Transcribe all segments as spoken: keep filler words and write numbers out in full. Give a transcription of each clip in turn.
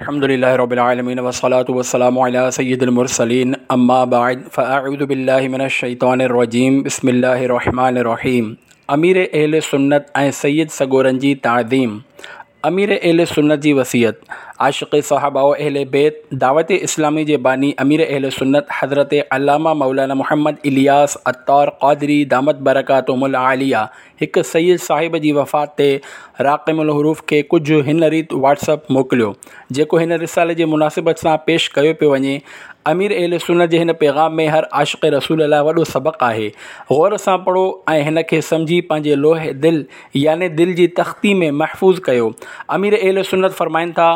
الحمد لله رب العالمين والصلاة والسلام على سيد المرسلين اما بعد فاعوذ بالله من الشيطان الرجيم بسم الله الرحمن الرحيم. امير اهل سنت ۽ سيد سڳورن جي تعظيم. امير اهل سنت جي وصيت. عاشق صحابه و اهل بيت دعوت اسلامي جي باني امير اهل سنت حضرت علامه مولانا محمد الياس عطار قادري دامت برڪاتهم العاليه هڪ سيد صاحب جي وفات تي راقم الحروف کي ڪجهه هن ريت واٽس اپ موڪليو، جيڪو هن رسالي جي مناسبت سان پيش ڪيو پيو وڃي. امير اهل سنت جي هن پيغام ۾ هر عاشق رسول لاء وڏو سبق آهي. غور سان پڙهو ۽ هن کي سمجهي پنهنجي لوح دل يعني دل جي تختي ۾ محفوظ ڪيو. امير اهل سنت فرمائن ٿا،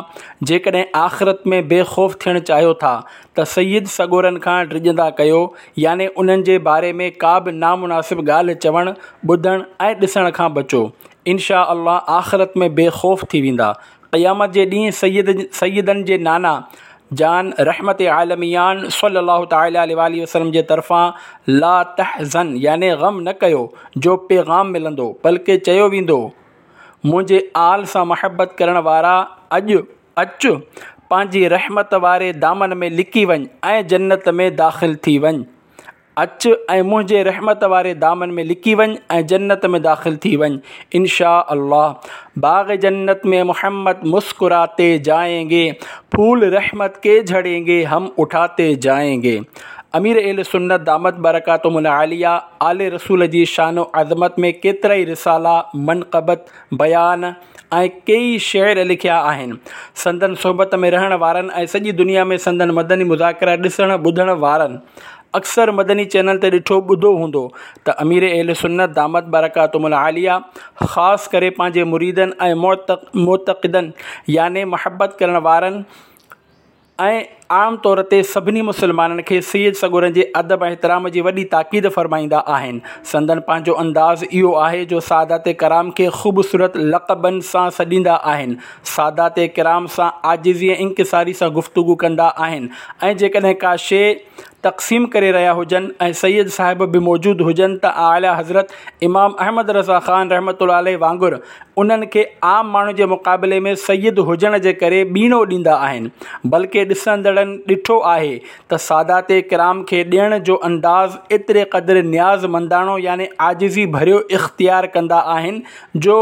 جيڪڏهن آخرت ۾ بي خوف ٿيڻ چاهيو ٿا ته سيد سڳورن کان ڊڄندا ڪيو، يعني انهن جي باري ۾ ڪا به نامناسب ڳالهه چوڻ، ٻڌڻ ۽ ڏسڻ کان بچو. انشاء الله آخرت ۾ بي خوف ٿي ويندا. قيامت جي ڏينهن سيد سيدن جي نانا جان رحمت عالميان صلي الله تعالٰي عليه واٰله وسلم جي طرفان لا تحزن يعني غم نه ڪيو جو پيغام ملندو، بلڪه چيو ويندو، منهنجي آل سان محبت ڪرڻ وارا اڄ اچ پنهنجي رحمت واري دامن ۾ لڪي وڃ ۽ جنت ۾ داخل ٿي وڃ. اچ ۽ منهنجي رحمت واري دامن ۾ لڪي وڃ ۽ جنت ۾ داخل ٿي وڃ. انشاء الله باغ جنت ۾ محمد مسڪراتي جائين گي، ڦول رحمت ڪي جھڙين گي، هم اٺاتي جائين گي. امير اهل سنت دامت برڪاتهم العاليه آل رسول جي شان و عظمت ۾ ڪيترائي رسالا، منقبت، بيان ۽ ڪيئي شعر لکيا آهن. سندن صحبت ۾ رهڻ وارن ۽ سڄي دنيا ۾ سندن مدني مذاڪرا ڏسڻ ٻڌڻ وارن اڪثر مدني چينل تي ڏٺو ٻڌو هوندو ته امير اهل سنت دامت برڪاتهم العاليه خاص ڪري پنهنجي مريدن ۽ معتقدن يعني محبت ڪرڻ وارن ۽ عام طور تي سڀني مسلمانن کي سيد سڳورن جي ادب ۽ احترام جي وڏي تاڪيد فرمائيندا آهن. سندن پنهنجو انداز اهو آهي جو سادات ڪرام کي خوبصورت لقبن سان سڏيندا آهن، سادات ڪرام سان عاجزي ۽ انڪساري سان گفتگو ڪندا آهن ۽ جيڪڏهن ڪا شيء تقسيم ڪري رهيا هجن ۽ سيد صاحب به موجود هجن ته اعليٰ حضرت امام احمد رضا خان رحمة الله عليه وانگر انهن کي عام ماڻهن جي مقابلي ۾ سيد هجڻ جي ڪري ٻيڻو ڏيندا آهن، بلڪه ڏسندڙن ڏٺو آهي ته سادات ڪرام کي ڏيڻ جو انداز ايتري قدر نياز منداڻو يعني عاجزي ڀريو اختيار ڪندا آهن جو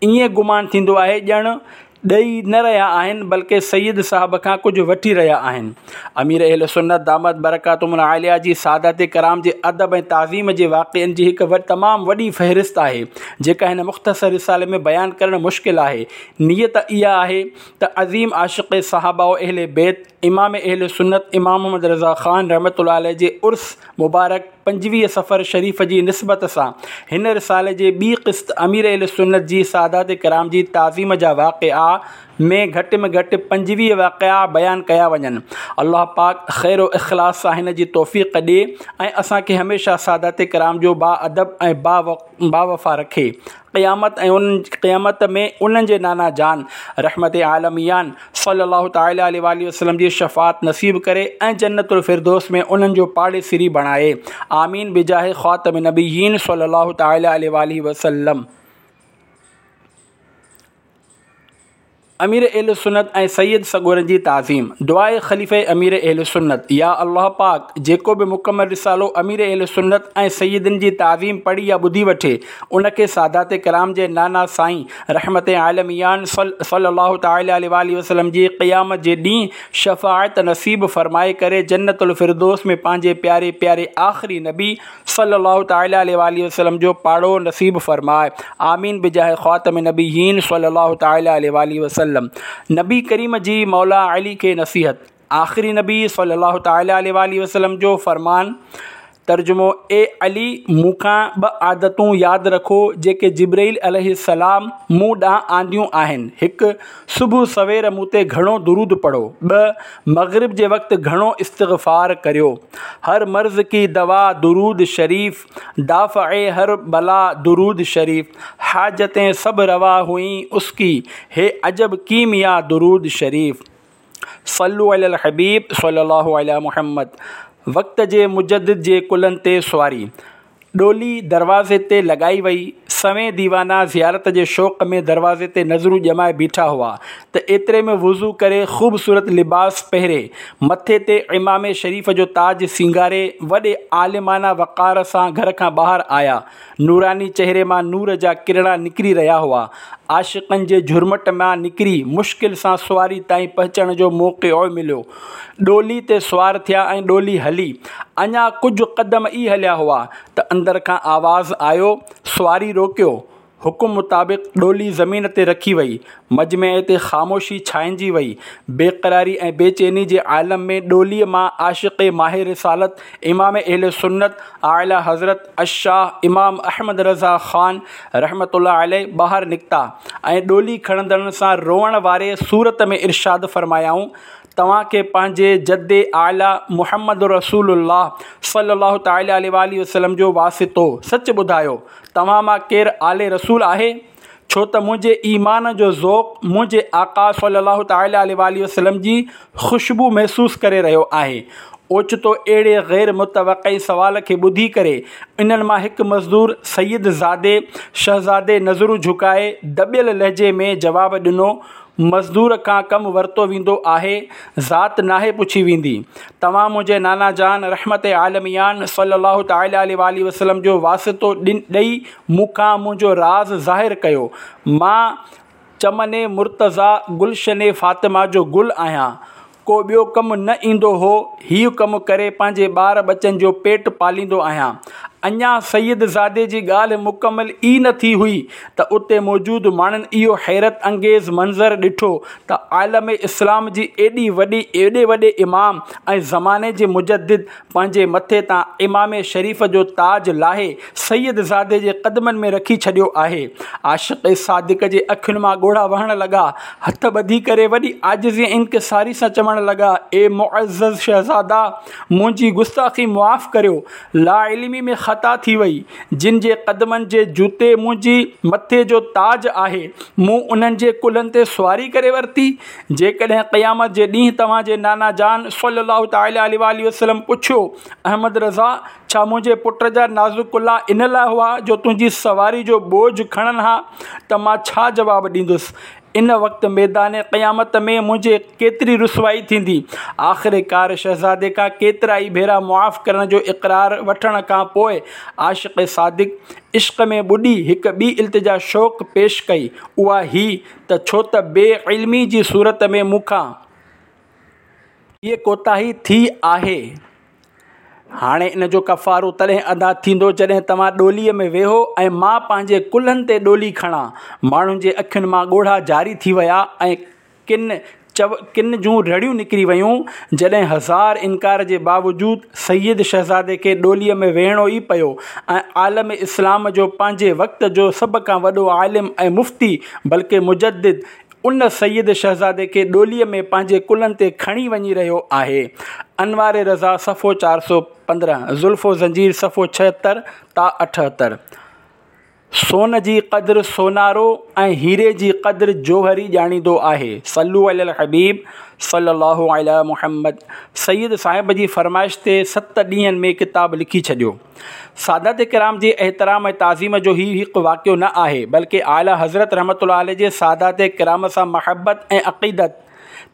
ائين گمان ٿيندو آهي ڄڻ ڏئي نه رهيا آهن بلڪه سيد صاحب کان ڪجهه وٺي رهيا آهن. امير اهل سنت دامت برڪاتهم العاليه جي سادات ڪرام جي ادب ۽ تعظيم جي واقعن جي هڪ تمام وڏي فهرست آهي جيڪا هن مختصر رسالي ۾ بيان ڪرڻ مشڪل آهي. نيت اها آهي ته عظيم عاشق صحابه و اهل بيت امام اهل سنت امام محمد رضا خان رحمة الله عليه جي عرس مبارڪ پنجويهه صفر شريف جي نسبت سان هن رسالي جي ٻي قسط امير اهل سنت جي سادات ڪرام جي تعظيم جا واقعا ۾ گهٽ ۾ گهٽ پنجويهه واقعا بيان ڪيا وڃن. الله پاڪ خير و اخلاص سان هن جي توفيق ڏي ۽ اسان کي هميشه سادات ڪرام جو با ادب ۽ باوفا رکي. قيامت ۽ ان قيامت ۾ انهن جي نانا جان رحمت عالميان صلي الله تعالٰي عليه واٰله وسلم جي شفاعت نصيب ڪري ۽ جنت الفردوس ۾ انهن جو پاڙيسري بڻائي. آمين بجاه خاتم النبيين صلي الله تعالٰي عليه واٰله وسلم. امير اهل سنت ۽ سيد سڳورن جي تعظيم. دعاء خليفه امير اهل سنت، يا الله پاڪ! جيڪو به مڪمل رسالو امير اهل سنت ۽ سيدن جي تعظيم پڙهي يا ٻڌي وٺي، ان کي سادات ڪرام جي نانا سائين رحمت عالميان صلّي الله تعالٰي عليه واٰله وسلّم جي قيامت جي ڏينهن شفاعت نصيب فرمائي ڪري جنت الفردوس ۾ پنهنجي پياري پياري آخري نبي صلّي الله تعالٰي عليه واٰله وسلّم جو پاڙو نصيب فرماء آمين بجاه خاتم النبيين صلّي الله تعالٰي عليه واٰله وسلّم نبي ڪريم جي مولا علي کي نصيحت آخري نبي صلّي الله تعالٰي عليه واٰله وسلّم جو فرمان ترجمو، اي علي! مون کان ٻه عادتون ياد رکو جيڪي جبرئيل عليه السلام مون ڏانهن آنديون آهن، هڪ. صبح سوير مون تي گهڻو درود پڙهو. ٻه. مغرب جي وقت گهڻو استغفار ڪريو. هر مرض ڪي دوا درود شريف، دافع هر بلا درود شريف، حاجتين سڀ روا هئين اس ڪي، هي عجب ڪيميا درود شريف. صلو علي الحبيب صلي الله علي محمد. وقت جي مجدد جي ڪلهن تي سواري. ڏولي دروازي تي لڳائي وئي. سوين ديوانا زيارت جي شوق ۾ دروازي تي نظرون ڄمائي بيٺا هئا ته ايتري ۾ وضو ڪري خوبصورت لباس پهري مٿي تي عمامي شريف جو تاج سينگاري وڏي عالمانه وقار سان گهر کان ٻاهر آيا. نوراني چهري مان نور جا ڪرڻا نڪري رهيا هئا. عاشقن جي جهرمٽ مان نڪري مشڪل سان سواري تائين پهچڻ جو موقعو مليو. ڏولي تي سوار ٿيا ۽ ڏولي هلي. اڃا ڪجهه قدم ئي هليا هئا ته اندر کان آواز آيو، سواري روڪيو. حڪم مطابق ڏولي زمين تي رکي وئي. مجمعي تي خاموشي ڇانئجي وئي. بيقراري ۽ بيچيني جي عالم ۾ ڏوليء مان عاشق ماه رسالت امام اهل سنت اعليٰ حضرت الشاهه امام احمد رضا خان رحمة الله عليه ٻاهر نڪتا ۽ ڏولي کڻندڙن سان روئڻ واري صورت ۾ ارشاد فرمايائون، توهان کي پنهنجي جد اعليٰ محمد رسول الله صلي الله تعالٰي عليه واٰله وسلم جو واسطو، سچ ٻڌايو، توهان مان ڪير آل رسول آهي؟ ڇو ته منهنجي ايمان جو ذوق منهنجي آقا صلي الله تعالٰي عليه واٰله وسلم جي خوشبو محسوس ڪري رهيو آهي. اوچتو اهڙي غير متوقع سوال کي ٻڌي ڪري انهن مان هڪ مزدور سيد زادي شهزادي نظرون جهڪائي دٻيل لهجي ۾ جواب ڏنو، مزدور کان ڪم ورتو ويندو آهي، ذات ناهي پڇي ويندي. توهان منهنجي نانا جان رحمت عالميان صلّي الله تعالٰي عليه واٰله وسلّم جو واسطو ڏئي مون کان منهنجو راز ظاهر ڪيو. مان چمن مرتضيٰ گلشن فاطمه جو گل آهيان. ڪو ٻيو ڪم نه ايندو هو، هيء ڪم ڪري پنهنجي ٻار ٻچن جو پيٽ پاليندو آهيان. اڃا سيد زادي جي ڳالهه مڪمل ئي نه ٿي هئي ته اتي موجود ماڻهن اهو حيرت انگيز منظر ڏٺو ته عالم اسلام جي ايڏي وڏي ايڏي وڏي امام ۽ زماني جي مجدد پنهنجي مٿي تان عمامي شريف جو تاج لاهي سيد زادي جي قدمن ۾ رکي ڇڏيو آهي. عاشق صادق جي اکين مان ڳوڙها وهڻ لڳا. هٿ ٻڌي ڪري وڏي عاجزي ۽ انڪساري سان چوڻ لڳا، اي معزز شهزادا! منهنجي گستاخي معاف ڪريو، لاعلمي ۾ خطا ٿي وئي. جن جي قدمن جي جوتي منهنجي مٿي جو تاج آهي، مون انهن جي ڪلهن تي سواري ڪري ورتي. جيڪڏهن قيامت جي ڏينهن توهان جي نانا جان صلّي الله تعالٰي عليه واٰله وسلّم پڇيو، احمد رضا! ڇا منهنجي پٽ جا نازڪ ڪلها ان لاء هئا جو تنهنجي سواري جو بوجهه کڻن ها ته مان ڇا جواب ڏيندس؟ ان وقت ميدان قيامت ۾ منهنجي ڪيتري رسوائي ٿيندي. آخرڪار شهزادي کان ڪيترائي ڀيرا معاف ڪرڻ جو اقرار وٺڻ کان پوء عاشق صادق عشق ۾ ٻڏي هڪ ٻي التجا شوق پيش ڪئي، اها هي ته ڇو ته بي علمي جي صورت ۾ مون کان هيء ڪوتاهي ٿي آهي. هاڻي ان جو ڪفارو تڏهن ادا ٿيندو جڏهن توهان ڏوليء ۾ ويهو ۽ مان پنهنجي ڪلهن تي ڏولي کڻان. ماڻهن جي اکين مان ڳوڙها جاري ٿي ويا ۽ ڪن چو ڪن جون رڙيون نڪري ويون. جڏهن هزار انڪار جي باوجود سيد شهزادي کي ڏوليء ۾ ويهڻو ئي پيو ۽ عالم اسلام جو پنهنجي وقت جو سڀ کان وڏو عالم ۽ مفتي بلڪه مجدد ان سيد شهزادي کي ڏوليء ۾ پنهنجي ڪلهن تي کڻي وڃي رهيو آهي. انوار رضا صفحو چار سؤ پندرهن، زلف و زنجير صفحو ڇهتر تا اٺهتر. سون جي قدر سونارو ۽ هيري جي قدر جوهري ڄاڻيندو آهي. صلو علي الحبيب صلي الله علي محمد سيد صاحب جي فرمائش تي ست ڏينهن ۾ ڪتاب لکي ڇڏيو. سادات ڪرام جي احترام ۽ تعظيم جو هي هڪ واقعو نه آهي، بلڪه اعليٰ حضرت رحمة الله عليه جي سادات ڪرام سان محبت ۽ عقيدت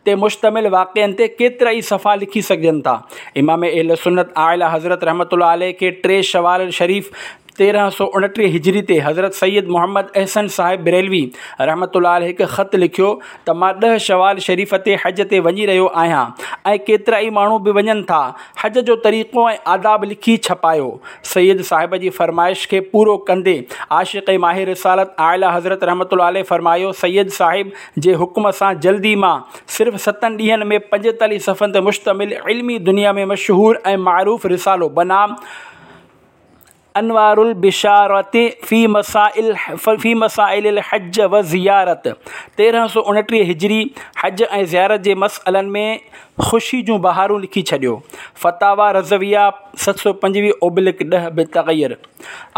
تي مشتمل واقعن تي ڪيترائي صفحا لکي سگهجن ٿا. امام اهل سنت اعليٰ حضرت رحمة الله عليه کي ٽي شوال شريف تيرهن سؤ اڻٽيهه هجري تي حضرت سيد محمد احسن صاحب بريلوي رحمة الله عليه هڪ خط لکيو ته مان ڏهه شوال شريف تي حج تي وڃي رهيو آهيان ۽ ڪيترائي ماڻهو به وڃن ٿا، حج جو طريقو ۽ آداب لکي ڇپايو. سيد صاحب جي فرمائش کي پورو ڪندي عاشق ماه رسالت اعليٰ حضرت رحمة الله عليه فرمايو، سيد صاحب جي حڪم سان جلدي مان صرف ستن ڏينهن ۾ پنجيتاليهه صفحن تي مشتمل علمي دنيا ۾ مشهور ۽ معروف رسالو بنام انوار البشارة في مسائل في مسائل الحج والزيارت تيرهن سؤ اڻٽيهه هجري حج ۽ زيارت جي مسئلن ۾ خوشي جون بهارون لکي ڇڏيو. فتاويٰ رضويه ست سؤ پنجويهه اوبلڪ ڏهه بالتغير.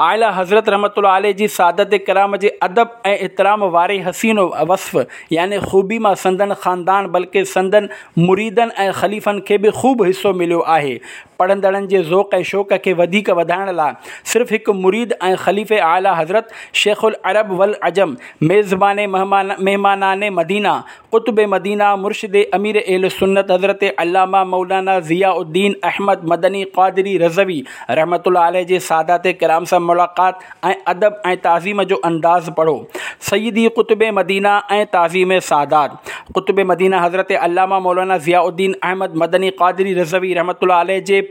اعليٰ حضرت رحمة الله عليه جي سادات ڪرام جي ادب ۽ احترام واري حسين وصف يعني خوبي مان سندن خاندان بلڪه سندن مريدن ۽ خليفن کي به خوب حصو مليو آهي. پڙهندڙن جي ذوق ۽ شوق کي وڌيڪ وڌائڻ لاء صرف هڪ مريد ۽ خليفي اعليٰ حضرت شيخ العرب والعجم ميزبان مهمانان مدينه قطب مدينه مرشد امير اهل سنت حضرت علامه مولانا ضياء الدين احمد مدني قادري رضوي رحمة الله عليه جي سادات ڪرام سان ملاقات ۽ ادب ۽ تعظيم جو انداز پڙهو. سيدي قطب مدينه ۽ تعظيم سادات قطب مدينه حضرت علامه مولانا ضياء الدين احمد مدني قادري رضوي رحمة الله عليه جي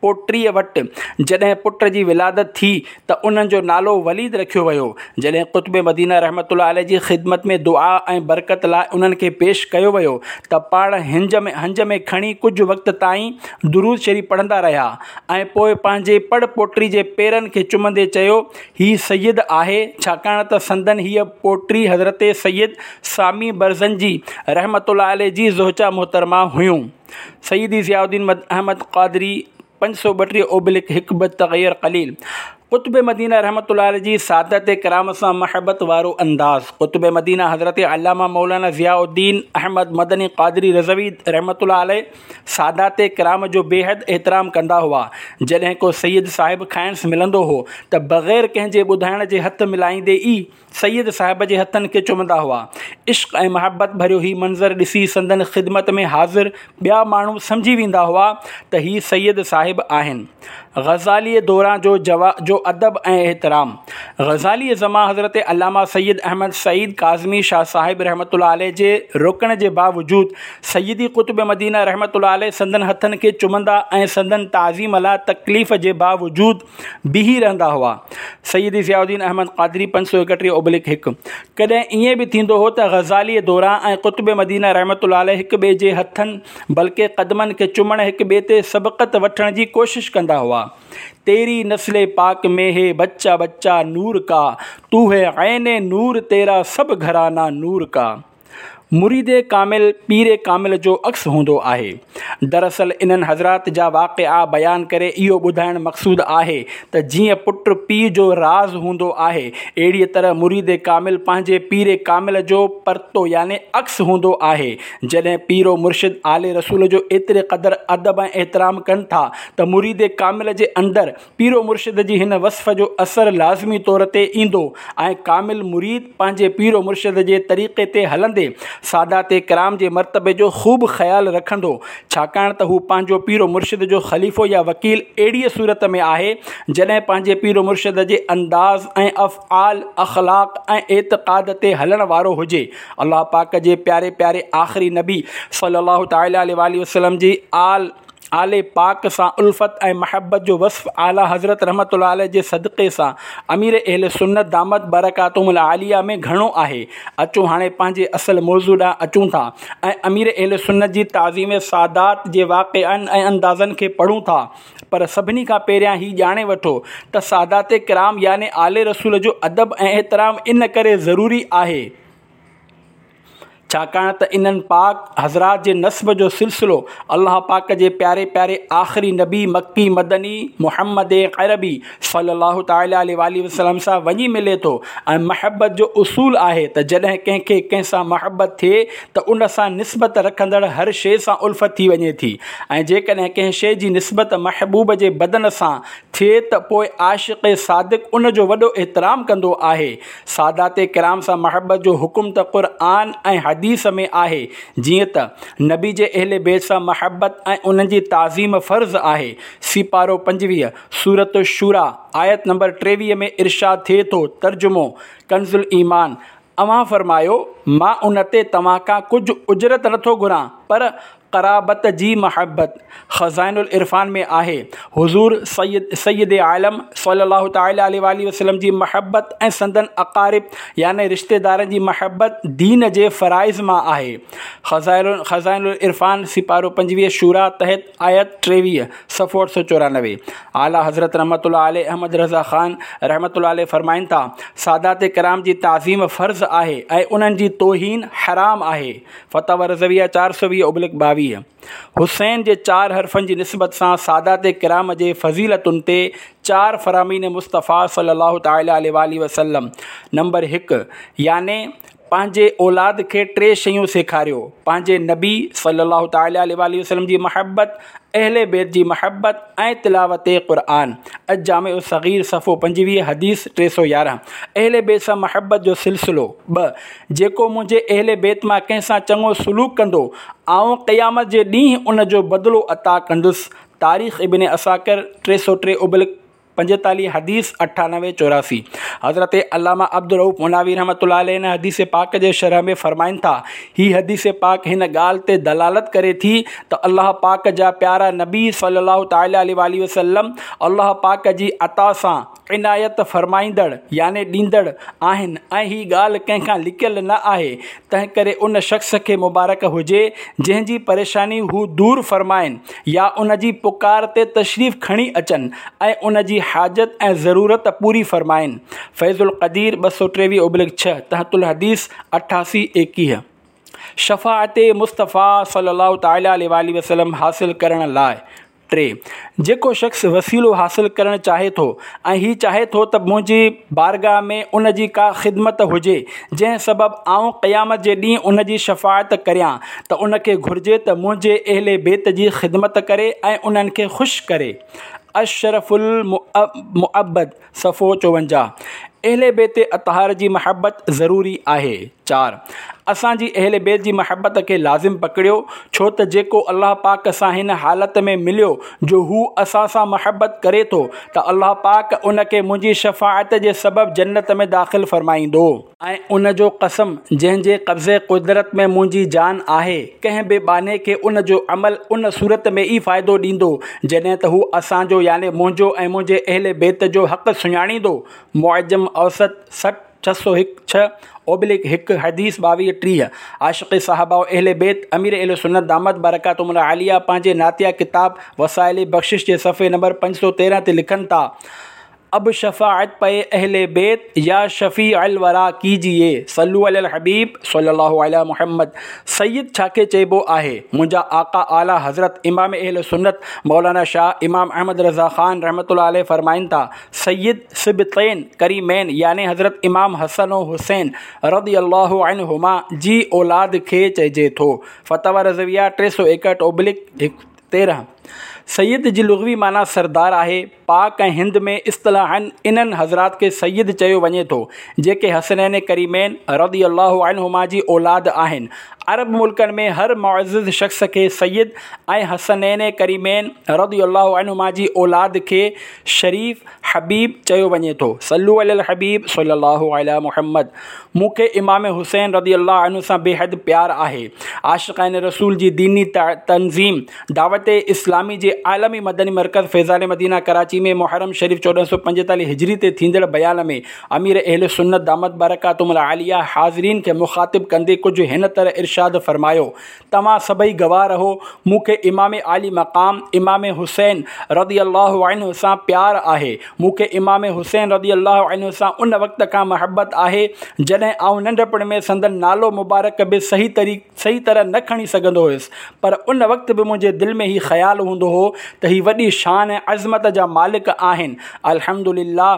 پوٽي وٽ جڏهن پٽ جي ولادت ٿي ته ان جو نالو وليد رکيو ويو. جڏهن قطب مدينه رحمة الله عليه جي خدمت ۾ دعا ۽ برڪت لاء انهن کي پيش ڪيو ويو ته پاڻ هنج ۾ هنج ۾ کڻي ڪجهه وقت تائين درود شريف پڙهندا رهيا ۽ پوء پنهنجي پڙ پوٽي جي پيرن کي چمندي چيو هي سيد آهي ڇاڪاڻ ته سندن هيء پوٽي حضرت سيد سامي برزنجي رحمة الله عليه جي زوجه محترمه هيون. سيدي ضياء الدين احمد قادري پنج سؤ ٻٽيهه اوبلڪ هڪ ٻه تغير قليل قطب مدينه رحمة الله عليه جي سادات ڪرام سان محبت وارو انداز قطب مدينه حضرت علامه مولانا ضياء الدين احمد مدني قادري رضوي رحمة الله عليه سادات ڪرام جو بيحد احترام ڪندا هئا. جڏهن ڪو سيد صاحب کانئس ملندو هو ته بغير ڪنهن جي ٻڌائڻ جي هٿ ملائيندي ئي سيد صاحب جي هٿن کي چمندا هئا. عشق ۽ محبت ڀريو هي منظر ڏسي سندن خدمت ۾ حاضر ٻيا ماڻهو سمجهي ويندا هئا ته هي سيد صاحب آهن. غزالي دوران جو جو ادب ۽ احترام غزالي زمان حضرت علامه سيد احمد سعيد ڪاظمي شاهه صاحب رحمة الله عليه جي روڪڻ جي باوجود سيدي قطب مدينه رحمة الله عليه سندن هٿن کي چمندا ۽ سندن تعظيم لاء تڪليف جي باوجود بيهي رهندا هئا. سيدي ضياء الدين احمد قادري پنج سؤ ايڪٽيهه اوبلڪ هڪ. ڪڏهن ائين به ٿيندو هو ته غزالي دوران ۽ قطب مدينه رحمة الله عليه هڪ ٻئي جي هٿن بلڪه قدمن کي چمڻ هڪ ٻئي تي سبقت وٺڻ جي ڪوشش ڪندا هئا. تيري نسل پاڪ ۾ هي بچه بچه نور ڪا، تو هي عين نور تيرا سب گهرانا نور ڪا. مريد ڪامل پير ڪامل جو عڪس هوندو آهي. دراصل انهن حضرات جا واقعا بيان ڪري اهو ٻڌائڻ مقصود آهي ته جيئن پٽ پيء جو راز هوندو آهي، اهڙيء طرح مريد ڪامل پنهنجي پير ڪامل جو پرتو يعني عڪس هوندو آهي. جڏهن پير و مرشد آل رسول جو ايتري قدر ادب ۽ احترام ڪن ٿا ته مريد ڪامل جي اندر پير و مرشد جي هن وصف جو اثر لازمي طور تي ايندو ۽ ڪامل مريد پنهنجي پير و مرشد جي طريقي تي هلندي سادات ڪرام جي مرتبي جو خوب خيال رکندو ڇاڪاڻ ته هو پنهنجو پير و مرشد جو خليفو يا وڪيل اهڙيء صورت ۾ آهي جڏهن پنهنجي پير و مرشد جي انداز ۽ افعال، اخلاق ۽ اعتقاد تي هلڻ وارو هجي. الله پاڪ جي پياري پياري آخري نبي صلي الله تعالٰي عليه واٰله وسلم جي آل آل پاڪ سان الفت ۽ محبت جو وصف اعليٰ حضرت رحمة الله عليه جي صدقي سان امير اهل سنت دامت برڪاتهم العاليه ۾ گهڻو آهي. اچو هاڻي پنهنجي اصل موضوع ڏانهن اچون ٿا ۽ امير اهل سنت جي تعظيم سادات جي واقعن ۽ اندازن کي پڙهون ٿا پر سڀني کان پهريان هي ڄاڻي وٺو ته سادات ڪرام يعني آل رسول جو ادب ۽ احترام ان ڪري ضروري آهي ڇاڪاڻ ته انهن پاڪ حضرات جي نسب جو سلسلو الله پاڪ جي پياري پياري آخري نبي مڪي مدني محمد عربي صلي الله تعالٰي عليه واٰله وسلم سان وڃي ملي ٿو ۽ محبت جو اصول آهي ته جڏهن ڪنهن کي ڪنهن سان محبت ٿئي ته ان سان نسبت رکندڙ هر شيء سان الفت ٿي وڃي ٿي ۽ جيڪڏهن ڪنهن شيء جي نسبت محبوب جي بدن سان ٿئي ته پوء عاشق صادق ان جو وڏو احترام ڪندو آهي. سادات ڪرام سان محبت جو حڪم ته قرآن ۽ حديث ۾ آهي، جيئن ته، نبي جي اهل بيت سان محبت ۽ انهن جي تعظيم فرض آهي، سيپارو پنجويهه، سورة الشوريٰ، آيت نمبر ٽيويهه ۾ ارشاد ٿئي ٿو، ترجمو ڪنزالايمان، اوهان فرمايو، مان ان تي توهان کان ڪجهه اجرت نٿو گهران، پر قرابت جي محبت خزائن العرفان ۾ آهي. حضور سيد سيد عالم صلي الله تعالٰي عليه واٰله وسلم جي محبت ۽ سندن اقارب يعني رشتيدارن جي محبت دين جي فرائض مان آهي. خزائن العرفان سيپارو پنجويهه شوريٰ تحت آيت ٽيويهه صفحو اٺ سؤ چورانوي اعليٰ حضرت رحمة الله عليه احمد رضا خان رحمة الله عليه فرمائن ٿا، سادات ڪرام جي تعظيم فرض آهي ۽ انهن جي توهين حرام آهي. فتاويٰ رضويه چار سؤ ويهه اوبلڪ ٻاويهه. ايڪويهه. حسين جي چار حرفن جي نسبت سان سادات ڪرام جي فضيلتن تي چار فرامين مصطفيٰ صلي الله تعالٰي عليه واٰله وسلم نمبر هڪ، يعني پنهنجي اولاد کي ٽي شيون سيکاريو، پنهنجي نبي صلي الله تعالٰي عليه واٰله وسلم جي محبت، اهل بيت جي محبت ۽ تلاوت قرآن. الجامع الصغير صفحو پنجويهه حديث ٽي سؤ يارهن. اهل بيت سان محبت جو سلسلو. ٻه، جيڪو منهنجي اهل بيت مان ڪنهن سان چڱو سلوڪ ڪندو، آئون قيامت جي ڏينهن ان جو بدلو عطا ڪندس. تاريخ ابن عساڪر ٽي سؤ ٽي ابلڪ پنجيتاليهه حديث اٺانوي چوراسي. حضرت علامه عبدالرؤف مناوي رحمة الله عليه هن حديث پاڪ جي شرح ۾ فرمائن ٿا، هي حديث پاڪ هن ڳالهه تي دلالت ڪري ٿي ته الله پاڪ جا پيارا نبي صلي الله تعالٰي عليه واٰله وسلم الله پاڪ جي عطا سان عنايت فرمائيندڙ يعني ڏيندڙ آهن ۽ هي ڳالهه ڪنهن کان لڪيل نه آهي، تنهنڪري ان شخص کي مبارڪ هجي جنهن جي پريشاني هو دور فرمائن يا ان جي پڪار تي تشريف کڻي اچن ۽ ان جي حاجت ۽ ضرورت پوري فرمائن. فيض القدير ٻه سؤ ٽيويهه ابلڪ ڇهه، تحت الحديث اٺاسي ايڪيهه. شفاعت مصطفيٰ صلي الله تعالٰي عليه واٰله وسلم حاصل ڪرڻ لاء ٽي، جيڪو شخص وسيلو حاصل ڪرڻ چاهي ٿو ۽ هي چاهي ٿو ته منهنجي بارگاهه ۾ ان جي ڪا خدمت هجي جنهن سبب آئون قيامت جي ڏينهن ان جي شفاعت ڪريان ته ان کي گهرجي ته منهنجي اهل بيت جي خدمت ڪري ۽ انهن کي خوش ڪري. الشرف المعبد صفحو چوونجاهه. اهل بيت اطهار جي محبت ضروري آهي. چار، اسان جي اهل بيت جي محبت کي لازم پڪڙيو، ڇو ته جيڪو الله پاڪ سان هن حالت ۾ مليو جو هو اسان سان محبت ڪري ٿو ته الله پاڪ ان کي منهنجي شفاعت جي سبب جنت ۾ داخل فرمائيندو. ۽ ان جو قسم جنهن جي قبضي قدرت ۾ منهنجي جان آهي، ڪنهن به ٻانهي کي ان جو عمل ان صورت ۾ ئي فائدو ڏيندو جڏهن ته هو اسان جو يعني منهنجو ۽ منهنجي اهل بيت جو حق سڃاڻيندو. معجم اوسط سٺ ڇهه سؤ هڪ ڇهه اوبليڪ هڪ حديث ٻاويهه ٽيهه. عاشق صحابه و اهل بيت امير اهل سنت دامت برڪاتهم العاليه پنهنجي نعتيه ڪتاب وسائل بخشش جي صفحي نمبر پنج سؤ تيرهن تي لکن ٿا، اب شفاعت پئي اهل بيت يا شفيع الوريٰ ڪيجيي صلو علي الحبيب صلي الله علي محمد. سيد ڇا کي چئبو آهي؟ منهنجا آقا اعليٰ حضرت امام اهل سنت مولانا شاهه امام احمد رضا خان رحمة الله عليه فرمائن ٿا، سيد سبطين ڪريمين يعني حضرت امام حسن و حسين رضي الله عنهما جي اولاد کي چئجي ٿو. فتاويٰ رضويه ٽي سؤ ايڪهٺ اوبلڪ تيرهن. سيد جي لغوي معنيٰ سردار آهي. پاڪ ۽ هند ۾ اصطلاحاً انهن حضرات کي سيد چيو وڃي ٿو، جيڪي حسنين ڪريمين رضي الله عنهما جي اولاد آهن. عرب ملڪن ۾ هر معزز شخص کي سيد ۽ حسنين ڪريمين رضي الله عنهما جي اولاد کي شريف، حبيب، چيو وڃي ٿو. صلو علي الحبيب صلي الله علي محمد. مون کي امام حسين رضي الله عنه سان بيحد پيار آهي. عاشقان رسول جي ديني تنظيم دعوت اسلامي جي عالمي مدني مرڪز فيضان مدينه ڪراچي ۾ محرم شريف چوڏهن سؤ پنجيتاليهه هجري تي ٿيندڙ بيان ۾ امير اهل سنت دامت برڪاتهم العاليه حاضرين کي مخاطب ڪندي ڪجهه هن طرح ارشاد فرمايو توهان سڀئي گواهه رهو، مون کي امام عالي مقام امام حسين رضي الله عنه سان پيار آهي، مون کي امام حسين رضي الله عنه سان ان وقت کان محبت آهي، جڏهن آئون ننڍپڻ ۾ سندن نالو مبارڪ به صحيح صحيح طرح نه کڻي سگهندو هيس، پر ان وقت به منهنجي دل ۾ هي خيال هوندو هو ته هي وڏي شان ۽ عظمت جا مالڪ آهن. الحمدلله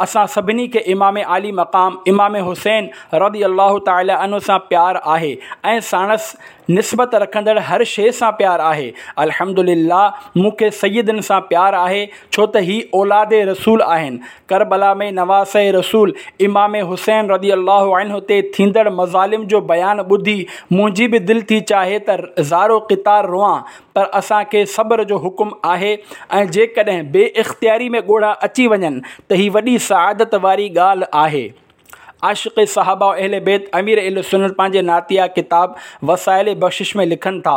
اسان سڀني کي امام عالي مقام امام حسين رضي الله تعالٰي عنه سان پيار آهي ۽ ساڻس نسبت رکندڙ هر شيء سان پيار آهي. الحمد لله مون کي سيدن سان پيار آهي ڇو ته هي اولاد رسول آهن. ڪربلا ۾ نواسه رسول امام حسين رضي الله عنه تي ٿيندڙ مظالم جو بيان ٻڌي منهنجي به دل ٿي چاهي ته زارو قطار روئان پر اسان کي صبر جو حڪم آهي ۽ جيڪڏهن بي اختياري ۾ ڳوڙها اچي وڃن ته هي وڏي سعادت واري ڳالهه آهي. عاشق صحابه و اهل بيت امير اهل سنت پنهنجي نعتيه ڪتاب وسائل بخشش ۾ لکن ٿا،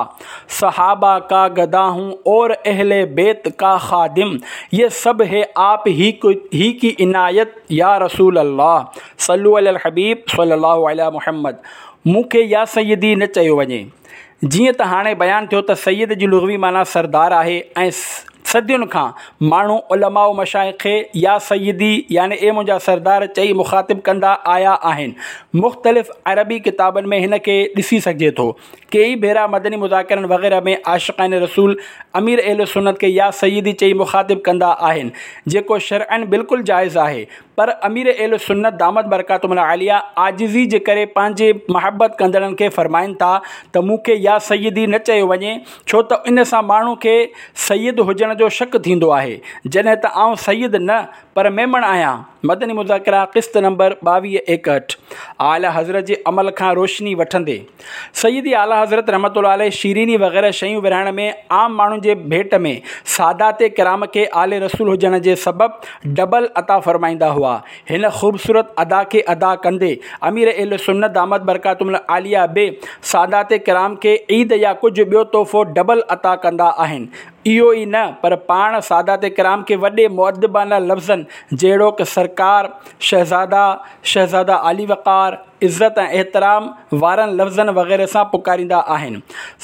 صحابه ڪا گدا هون اور اهل بيت ڪا خادم يه سب هي آپ هي هي ڪي عنايت يا رسول الله صلو علي الحبيب صلي الله علي محمد مون کي يا سيدي نه چيو وڃي. جيئن ته هاڻي بيان ٿيو ته سيد جي لغوي معنيٰ سردار آهي ۽ صدين کان ماڻهو علماء و مشائخ کي يا سيدي يعني اي منهنجا سردار چئي مخاطب ڪندا آيا آهن. مختلف عربي ڪتابن ۾ هن کي ڏسي سگهجي ٿو. ڪيئي ڀيرا مدني مذاڪرن وغيره ۾ عاشقان رسول امير اهل سنت کي يا سيدي چئي مخاطب ڪندا آهن، جيڪو شرعاً بلڪل جائز آهي، پر امير اهل سنت دامت برڪاتهم العاليه عاجزي جي ڪري پنهنجي محبت ڪندڙن کي فرمائن ٿا ته مون کي يا سيدي نه چيو وڃي، ڇو ته ان سان ماڻهو کي سيد هجڻ جو شڪ ٿيندو آهي، جڏهن ته آئون سيد نه پر ميمڻ آهيان. مدني مذاڪره قسط نمبر ٻاويهه ايڪهٺ. اعليٰ حضرت جي عمل کان روشني وٺندي سيدي اعليٰ حضرت رحمة الله عليه شيريني وغيره شيون ورهائڻ ۾ عام ماڻهن جي ڀيٽ ۾ سادات ڪرام کي آل رسول هجڻ جي سبب ڊبل عطا فرمائيندا هئا. هن خوبصورت ادا کي ادا ڪندي امير اهل سنت دامت برڪاتهم العاليه به سادات ڪرام کي عيد يا ڪجهه ٻيو تحفو ڊبل عطا ڪندا آهن. اهو ئي نه پر پاڻ سادات ڪرام کي وڏي مؤدبانه لفظن جهڙوڪ سرڪار، شهزاده، شهزاده عالي وقار، عزت ۽ احترام وارن لفظن وغيره سان پڪاريندا آهن.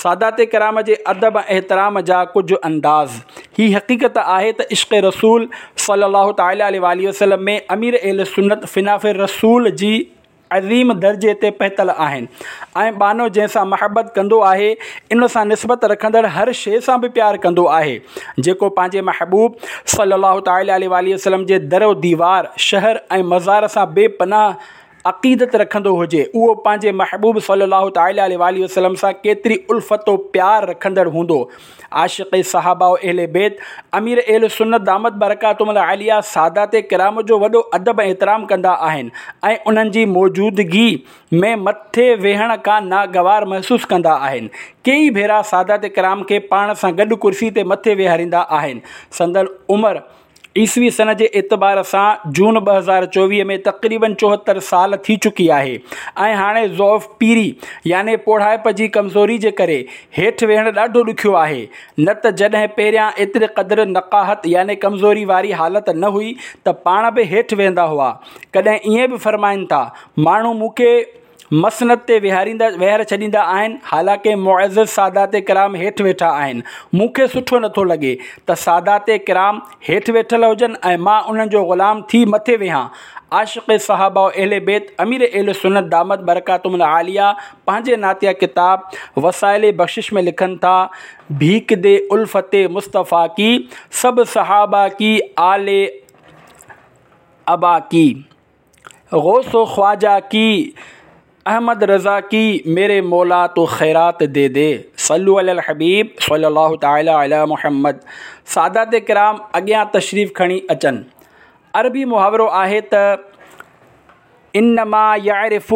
سادات ڪرام جي ادب ۽ احترام جا ڪجهه انداز. هي حقيقت آهي ته عشق رسول صلي الله تعالٰي عليه واٰله وسلم ۾ امير اهل سنت فنا في الرسول جي عظيم درجي تي پهتل آهن ۽ ٻانهو جنهن سان محبت ڪندو آهي ان سان نسبت رکندڙ هر شيء سان به پيار ڪندو آهي. جيڪو پنهنجي محبوب صلي الله تعالٰي عليه واٰله وسلم جي در و ديوار، شهر ۽ مزار سان بي پناهه عقيدت رکندو هجي، اهو پنهنجي محبوب صلي الله تعالٰي عليه واٰله وسلم سان ڪيتري الفت و پيار رکندڙ هوندو. عاشق صحابه و اهل بيت امير اهل سنت دامت برڪاتهم العاليه سادات ڪرام جو وڏو ادب ۽ احترام ڪندا آهن ۽ انهن جي موجودگي ۾ مٿي ويهڻ کان ناگوار محسوس ڪندا آهن. ڪيئي ڀيرا سادات ڪرام کي پاڻ سان گڏ ڪرسي تي مٿي ويهاريندا آهن. سندن عمر عيسوي سن جي اعتبار سان جون ٻه هزار چوويهه ۾ تقريباً چوهتر سال ٿي چڪي آهي ۽ هاڻي ضعف پيري يعني پوڙهائپ جي ڪمزوري جي ڪري هيٺ ويهڻ ڏاڍو ڏکيو آهي، نه ته جڏهن پهريان ايتري قدر نقاهت يعني ڪمزوري واري حالت نه هئي ته پاڻ به هيٺ ويهندا هئا. ڪڏهن ائين به فرمائن ٿا، ماڻهو مون کي مسند تي ويهاريندا ويهاري ڇڏيندا آهن، حالانڪه معزز سادات ڪرام هيٺ ويٺا آهن. مون کي سٺو نٿو لڳي ته سادات ڪرام هيٺ ويٺل هجن ۽ مان انهن جو غلام ٿي مٿي ويهان. عاشق صحابه و اهل بيت امير اهل سنت دامت برڪاتهم العاليه پنهنجي نعتيه ڪتاب وسائل بخشش ۾ لکن ٿا، ڀيڪ the الفت مصطفيٰ ڪي، سب صحابه ڪي آل عبا ڪي. غوث و خواجه ڪي، احمد رضا ڪي، ميري مولا تو خيرات the the. صلو علي الحبيب صلي الله تعالي علي محمد. سادات ڪرام اڳيان تشريف کڻي اچن. عربي محاورو آهي ته انما يعرف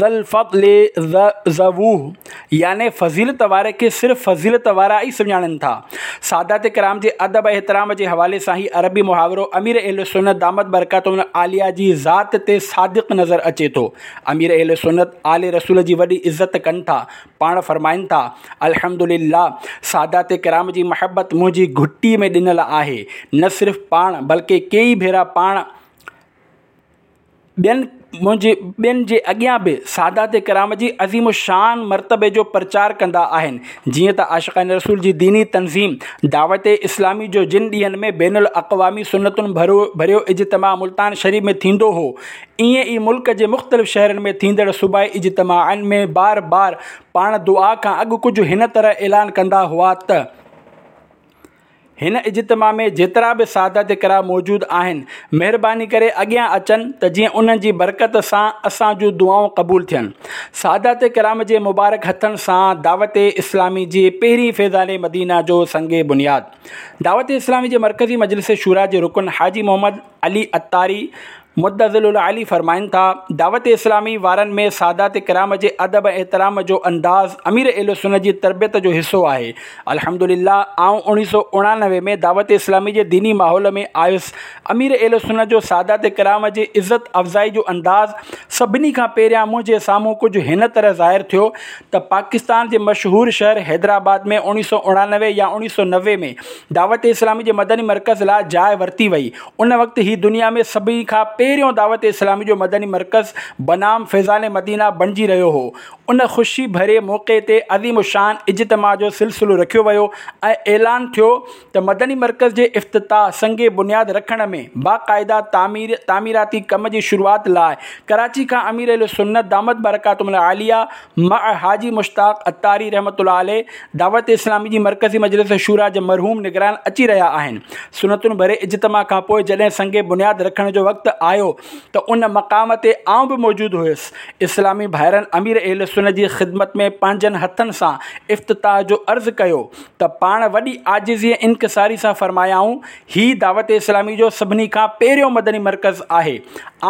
ذا الفضل ذووه يعني فضيلت واري کي صرف فضيلت وارا ئي سڃاڻن ٿا. سادات ڪرام جي ادب ۽ احترام جي حوالي سان هي عربي محاورو امير اهل سنت دامت برڪاتهم العاليه جي ذات تي صادق نظر اچي ٿو. امير اهل سنت آل رسول جي وڏي عزت ڪن ٿا. پاڻ فرمائن ٿا، الحمدلله سادات ڪرام جي محبت منهنجي گهٽي ۾ ڏنل آهي. نه صرف پاڻ بلڪه ڪيئي ڀيرا پاڻ ٻين منهنجي ٻين جي اڳيان به سادات ڪرام جي عظيم الشان مرتبي جو پرچار ڪندا آهن. جيئن ته عاشقان رسول جي ديني تنظيم دعوت اسلامي جو جن ڏينهن ۾ بين الاقوامي سنتن ڀريو اجتماع ملتان شريف ۾ ٿيندو هو، ائين ئي ملڪ جي مختلف شهرن ۾ ٿيندڙ صوبائي اجتماعن ۾ بار بار پاڻ دعا کان اڳ ڪجهه هن طرح اعلان ڪندا هئا ته. هن اجتماع ۾ جيترا به سادات ڪرام موجود آهن، مهرباني ڪري اڳيان اچن ته جيئن انهن جي برڪت سان اسان جون دعائون قبول ٿين. سادات ڪرام جي مبارڪ هٿن سان دعوت اسلامي جي پهرين فيضان مدينه جو سنگ بنياد دعوت اسلامي جي مرڪزي مجلس شوريٰ جي رڪن حاجي محمد علي عطاري مدظله العالي فرمائن ٿا، دعوت اسلامي وارن ۾ سادات ڪرام جي ادب ۽ احترام جو انداز امير اهل سنت جي تربيت جو حصو آهي. الحمدلله آئون اوڻيهه سؤ اڻانوي ۾ دعوت اسلامي جي ديني ماحول ۾ آيس. امير اهل سنت جو سادات ڪرام جي عزت افزائي جو انداز سڀني کان پهريان منهنجي سامهون ڪجهه هن طرح ظاهر ٿيو ته پاڪستان جي مشهور شهر حيدرآباد ۾ اوڻيهه سؤ اڻانوي يا اوڻيهه سؤ نوي ۾ دعوت اسلامي جي مدني مرڪز لاء جاء ورتي وئي. ان وقت هي دنيا ۾ سڀني کان پهريون دعوت اسلامي جو مدني مرڪز بنام فيضان مدينه بڻجي رهيو هو. ان خوشي ڀري موقعي تي عظيم الشان اجتماع جو سلسلو رکيو ويو ۽ اعلان ٿيو ته مدني مرڪز جي افتتاح، سنگ بنياد رکڻ ۽ باقاعده تعمير تعميراتي ڪم جي شروعات لاء ڪراچي کان امير اهل سنت دامت برڪاتهم العاليه مع حاجي مشتاق عطاري رحمة الله عليه دعوت اسلامي جي مرڪزي مجلس شوريٰ جا مرحوم نگران اچي رهيا آهن. سنتن ڀري اجتماع کان پوء جڏهن سنگ بنياد رکڻ جو وقت آيو ته ان مقام تي آئون به موجود هيس. اسلامي ڀائرن امير اهل سنت جي خدمت ۾ پنهنجن هٿن سان افتتاح جو عرض ڪيو ته پاڻ وڏي عاجزي ۽ انڪساري سان فرمايائون، هي دعوت اسلامي جو سڀني کان پهريون مدني مرڪز آهي.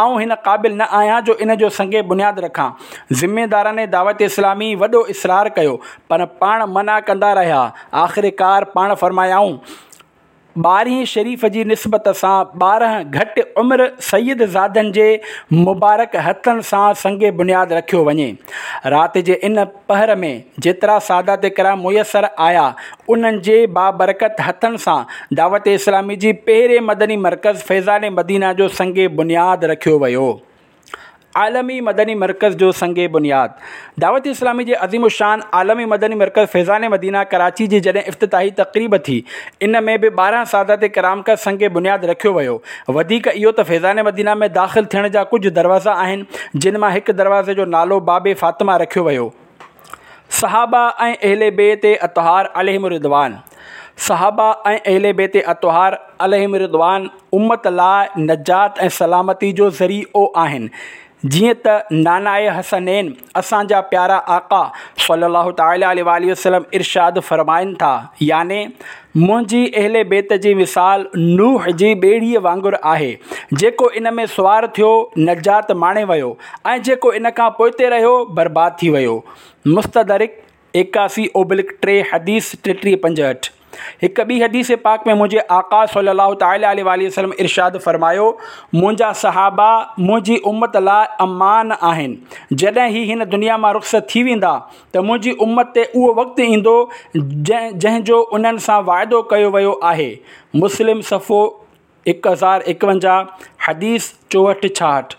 آئون هن قابل نه آهيان جو ان جو سنگ بنياد رکان. ذميداران دعوت اسلامي وڏو اصرار ڪيو پر پاڻ منع ڪندا رهيا. آخرڪار پاڻ فرمايائون، ٻارهين شريف جي نسبت سان ٻارهن گهٽ عمر سيد زادن جي مبارڪ هٿن سان سنگ بنياد رکيو وڃي. رات جي ان پهر ۾ جيترا سادات ڪرام ميسر آيا، انهن جي بابرڪت هٿن سان دعوت اسلامي جي پهرين مدني مرڪز فيضان مدينه جو سنگ بنياد رکيو ويو. عالمي مدني مرڪز جو سنگ بنياد دعوت اسلامي جي عظيم الشان عالمي مدني مرڪز فيضان مدينه ڪراچي جي جڏهن افتتاحي تقريب ٿي، ان ۾ به ٻارهن سادات ڪرام کان سنگ بنياد رکيو ويو. وڌيڪ اهو ته فيضان مدينه ۾ داخل ٿيڻ جا ڪجهه دروازا آهن، جن مان هڪ دروازي جو نالو باب فاطمه رکيو ويو. صحابه ۽ اهل بيت اطهار عليهم الرضوان صحابه ۽ اهل بيت اطهار عليهم الرضوان امت لاء نجات ۽ سلامتي جو ذريعو آهن. جيئن ته ناناء حسنين اسان جا پيارا آقا صلّي الله تعالٰي عليه واٰله وسلّم ارشاد فرمائن ٿا، يعني منهنجي اهل بيت جي مثال نوح جي ٻيڙيء وانگر آهي، جيڪو ان ۾ سوار ٿيو نجات ماڻي ويو ۽ جيڪو ان کان پوئتي رهيو برباد ٿي ويو. مستدرڪ ايڪاسي اوبلڪ ٽي حديث ٽيٽيهه پنجهٺ. هڪ ٻي حديث پاڪ ۾ منهنجي آقا صلّي الله تعالٰي عليه واٰله وسلّم ارشاد فرمايو، منهنجا صحابه منهنجي امت لاء امان آهن، جڏهن هي هن دنيا مان رخصت ٿي ويندا ته منهنجي امت تي اهو وقت ايندو جنهن جو انهن سان وعدو ڪيو ويو آهي. مسلم صفحو هڪ هزار ايڪونجاهه، حديث چوهٺ ڇاهٺ.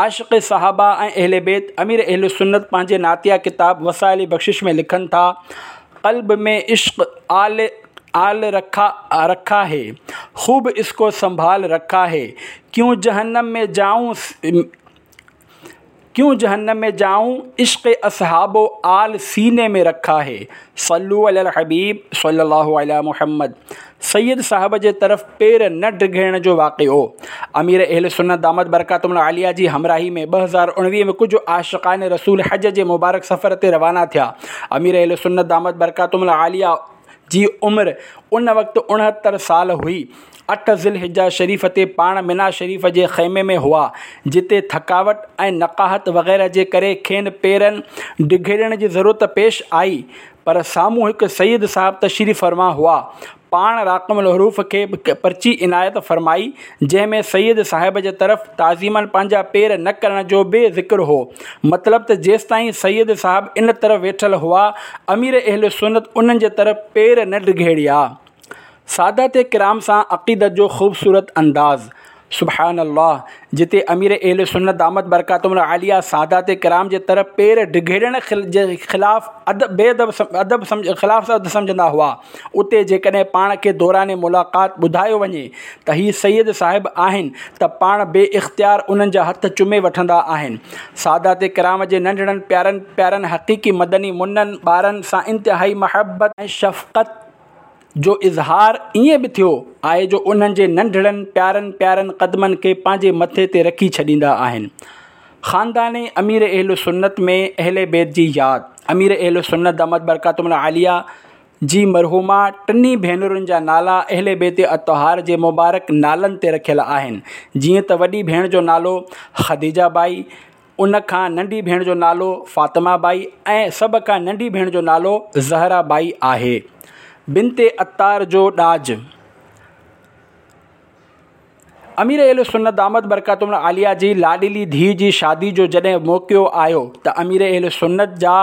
عاشق صحابه ۽ اهل بيت امير اهل سنت پنهنجي نعتيه ڪتاب وسائل بخشش ۾ لکن ٿا، قلب ۾ عشق آل آل رکا رکا هي، خوب اس ڪو سنڀال رکا هي، ڪيون جهنم ۾ جائون ڪيون جهنم ۾ جائون، عشق اصحاب و آل سيني ۾ رکا هي. صلو علي الحبيب صلي الله علي محمد سيد صاحب جي طرف پير نه ڊگهيڙڻ جو واقعو امير اهل سنت دامت برڪاتهم العاليه جي همراهي ۾ ٻه هزار اڻويهه ۾ ڪجهه عاشقان رسول حج جي مبارڪ سفر تي روانا ٿيا. امير اهل سنت دامت برڪاتهم العاليه جي عمر ان وقت اڻهتر سال هئي. اٺ ذي الحجه شريف تي پاڻ منيٰ شريف جي خيمي ۾ هئا، جتي ٿڪاوٽ ۽ نقاهت وغيره جي ڪري کين پيرن ڊگهيڙڻ جي ضرورت پيش آئي، پر سامهون هڪ سيد صاحب تشريف فرما هئا. پاڻ راقم الحروف کي پرچي عنايت فرمائي، جنهن ۾ سيد صاحب جي طرف تعظيماً پنهنجا پير نه ڪرڻ جو به ذڪر هو. مطلب ته جيستائين سيد صاحب ان طرف ويٺل هئا، امير اهل سنت انهن جي طرف پير نه ڊگهيڙيا. سادات ڪرام سان عقيدت جو خوبصورت انداز سبحان الله! جتي امير اهل سنت دامت برڪاتهم العاليه سادات ڪرام جي طرف پير ڊگهيڙڻ جي خلاف ادب بي ادب ادب خلاف ادب سمجهندا هئا، اتي جيڪڏهن پاڻ کي دوران ملاقات ٻڌايو وڃي ته هي سيد صاحب آهن ته پاڻ بي اختيار انهن جا هٿ چمي وٺندا آهن. سادات ڪرام جي ننڍڙن پيارن پيارن حقيقي مدني منن ٻارن سان انتهائي محبت ۽ شفقت جو اظهار ائين به ٿيو آهي جو انهن جي ننڍڙن پيارن پيارن قدمن کي پنهنجي مٿي تي رکي ڇڏيندا آهن. خاندان امير اهل سنت ۾ اهل بيت جي ياد امير اهل سنت دامت برڪاتهم العاليه جي مرحومه ٽنهي ڀينرن جا نالا اهل بيت اطهار جي مبارڪ نالن تي رکيل آهن جيئن ته وڏي ڀيڻ جو نالو خديجه ٻائي، ان کان ننڍي ڀيڻ جو نالو فاطمه ٻائي ۽ سڀ کان ننڍي ڀيڻ جو نالو زهره ٻائي آهي. بنت عطار جو ڏاج. امير اهل سنت دامت برڪاتهم العاليه جي لاڏلي ڌيء جي شادي جو جڏهن موقعو آيو ته امير اهل سنت جا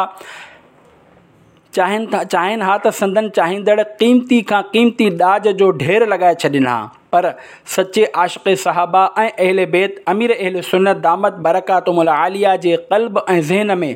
چاهين ها ته سندن چاهيندڙ قيمتي کان قيمتي ڏاج جو ڍير لڳائي ڇڏين ها. پر سچي عاشق صحابه ۽ اهل بيت امير اهل سنت دامت برڪاتهم العاليه جي قلب ۽ ذهن ۾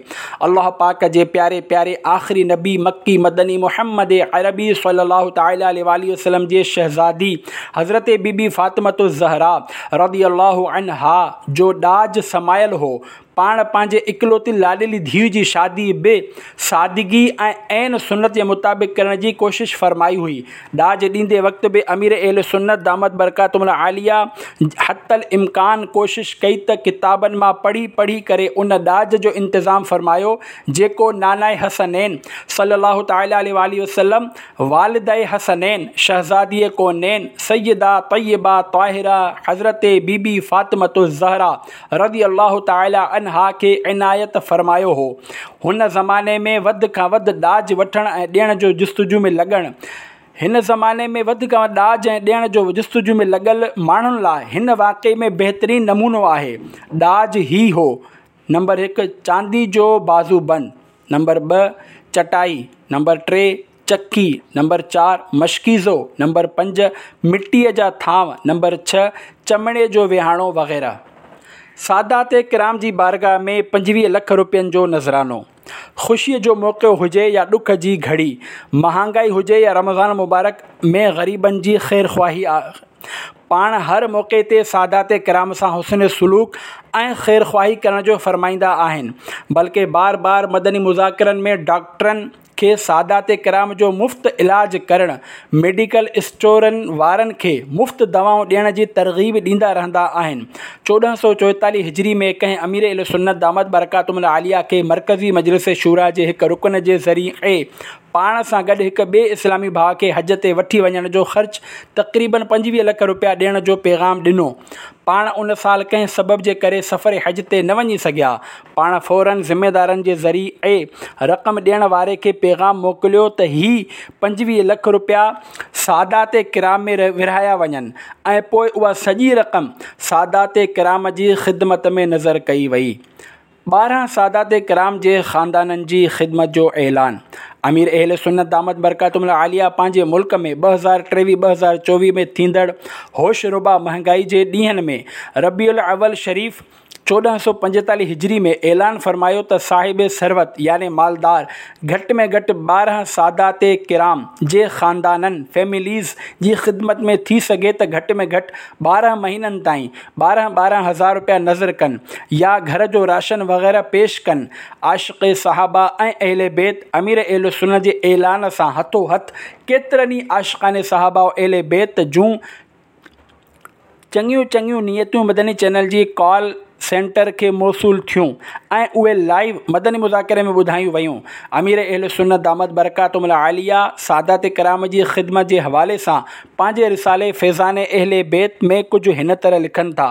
الله پاڪ جي پياري پياري آخري نبي مڪي مدني محمد عربي صلي الله تعالٰي عليه واٰله وسلم جي شهزادي حضرت بي بي فاطمة الزهراء رضي الله عنها جو ڏاج سمايل هو. پاڻ پنهنجي اڪلوتي لاڏلي ڌيء جي شادي به سادگي ۽ عين سنت جي مطابق ڪرڻ جي ڪوشش فرمائي هئي. ڏاج ڏيندي وقت به امير اهل سنت دامت برڪاتهم العاليه حتي الامڪان ڪوشش ڪئي ته ڪتابن مان پڙهي پڙهي ڪري ان ڏاج جو انتظام فرمايو جيڪو نانائي حسنين صلي الله تعالٰي عليه واٰله وسلم والده حسنين شهزادي ڪونين سيده طيبه طاهره حضرت بي بي فاطمة الزهراء رضي الله تعالٰي عنها کي عنايت فرمايو هو. هن زماني ۾ وڌ کان وڌ ڏاج وٺڻ ۽ ڏيڻ جو جستجو ۾ لڳڻ هن زماني ۾ وڌ کان وڌ ڏاج ۽ ڏيڻ جو جستجو ۾ لڳل ماڻهن لاء هن واقعي ۾ بهترين نمونو آهي. ڏاج هي هو، نمبر هڪ چاندي جو بازو بند، نمبر ٻه چٽائي، نمبر ٽي چڪي، نمبر چار مشڪيزو، نمبر پنج مٽيء جا ٿانو، نمبر ڇهه چمڙي جو ويهاڻو وغيره. سادات ڪرام جي بارگاهه ۾ پنجويهه لک روپين جو نذرانو. خوشيء جو موقعو هجي يا ڏک جي گهڙي، مهانگائي هجي يا رمضان مبارڪ ۾ غريبن جي خيرخواهي، پاڻ هر موقعي تي سادات ڪرام سان حسن سلوڪ ۽ خيرخواهي ڪرڻ جو فرمائيندا آهن، بلڪه بار بار مدني مذاڪرن ۾ ڊاڪٽرن کي سادات ڪرام جو مفت علاج ڪرڻ، ميڊيڪل اسٽورن وارن کي مفت دوائون ڏيڻ جي ترغيب ڏيندا رهندا آهن. چوڏهن سؤ چوئيتاليهه هجري ۾ ڪنهن امير اهلسنت دامت برڪاتهم العاليه کي مرڪزي مجلس شوريٰ جي هڪ رڪن جي ذريعي پاڻ سان گڏ هڪ ٻئي اسلامي ڀاء کي حج تي وٺي وڃڻ جو خرچ تقريباً پنجويهه لک روپيا ڏيڻ جو پيغام ڏنو. پاڻ ان سال ڪنهن سبب جي ڪري سفر حج تي نه وڃي سگهيا. پاڻ فوراً ذميدارن جي ذريعي رقم ڏيڻ واري کي پيغام موڪليو ته هي پنجويهه لک روپيا سادات ڪرام ۾ ورهايا وڃن ۽ پوء اها سڄي رقم سادات ڪرام جي خدمت ۾ نذر ڪئي وئي. ٻارهن سادات ڪرام جي خاندانن جي خدمت جو اعلان. امير اهل سنت دامت برڪاتهم العاليه پنهنجي ملڪ ۾ ٻه هزار ٽيويهه ٻه هزار چوويهه ۾ ٿيندڙ هوش ربا مهنگائي جي ڏينهن ۾ ربيع الاول شريف چوڏهن سؤ پنجيتاليهه هجري ۾ اعلان فرمايو ته صاحب ثروت يعني مالدار گهٽ ۾ گهٽ ٻارهن سادات ڪرام جي خاندانن، Families، جي خدمت ۾ ٿي سگهي ته گهٽ ۾ گهٽ ٻارهن مهينن تائين ٻارهن ٻارهن هزار روپيا نذر ڪن يا گهر جو راشن وغيره پيش ڪن. عاشق صحابه ۽ اهل بيت امير اهل سنت جي اعلان سان هٿو هٿ ڪيترن ئي عاشقان صحابه و اهل بيت جون چڱيون چڱيون نيتون مدني چينل جي ڪال سينٽر کي موصول ٿيون ۽ اهي لائيو مدني مذاڪري ۾ ٻڌايون ويون. امير اهل سنت دامت برڪاتهم العاليه سادات ڪرام جي خدمت جي حوالي سان پنهنجي رسالي فيضان اهل بيت ۾ ڪجهه هن طرح لکن ٿا،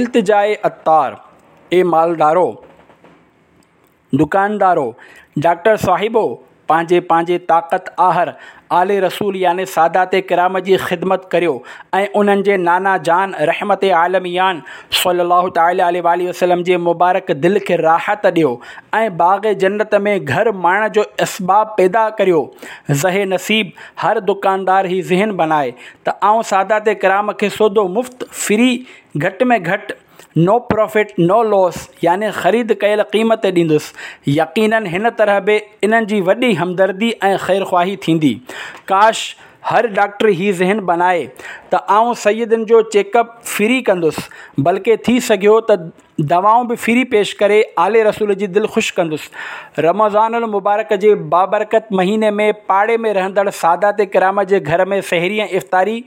التجاء عطار، اي مالدارو! دڪاندارو، ڊاڪٽر صاحبو! پنهنجي پنهنجي طاقت آهر آل رسول يعني سادات ڪرام جي خدمت ڪريو ۽ انهن جي نانا جان رحمت عالميان صلّي الله تعالٰي عليه واٰله وسلّم جي مبارڪ دل کي راحت ڏيو ۽ باغ جنت ۾ گهر ماڻڻ جو اسباب پيدا ڪريو. زهِ نصيب هر دڪاندار هي ذهن بنائي ته آئون سادات ڪرام کي سودو مفت، فري، گهٽ ۾ گهٽ، نو پرافٽ نو لاس يعني خريد ڪيل قيمت تي ڏيندس. يقيناً هن طرح به انهن جي وڏي همدردي ۽ خيرخواهي ٿيندي. ڪاش هر ڊاڪٽر هي ذهن بنائي ته آئون سيدن جو چيڪ اپ فري ڪندس بلڪه ٿي سگهيو ته دوائون به فري پيش ڪري آل رسول جي دل خوش ڪندس. رمضان المبارڪ جي بابرڪت مهيني ۾ پاڙي ۾ رهندڙ سادات ڪرام جي گهر ۾ سحري ۽ افطاري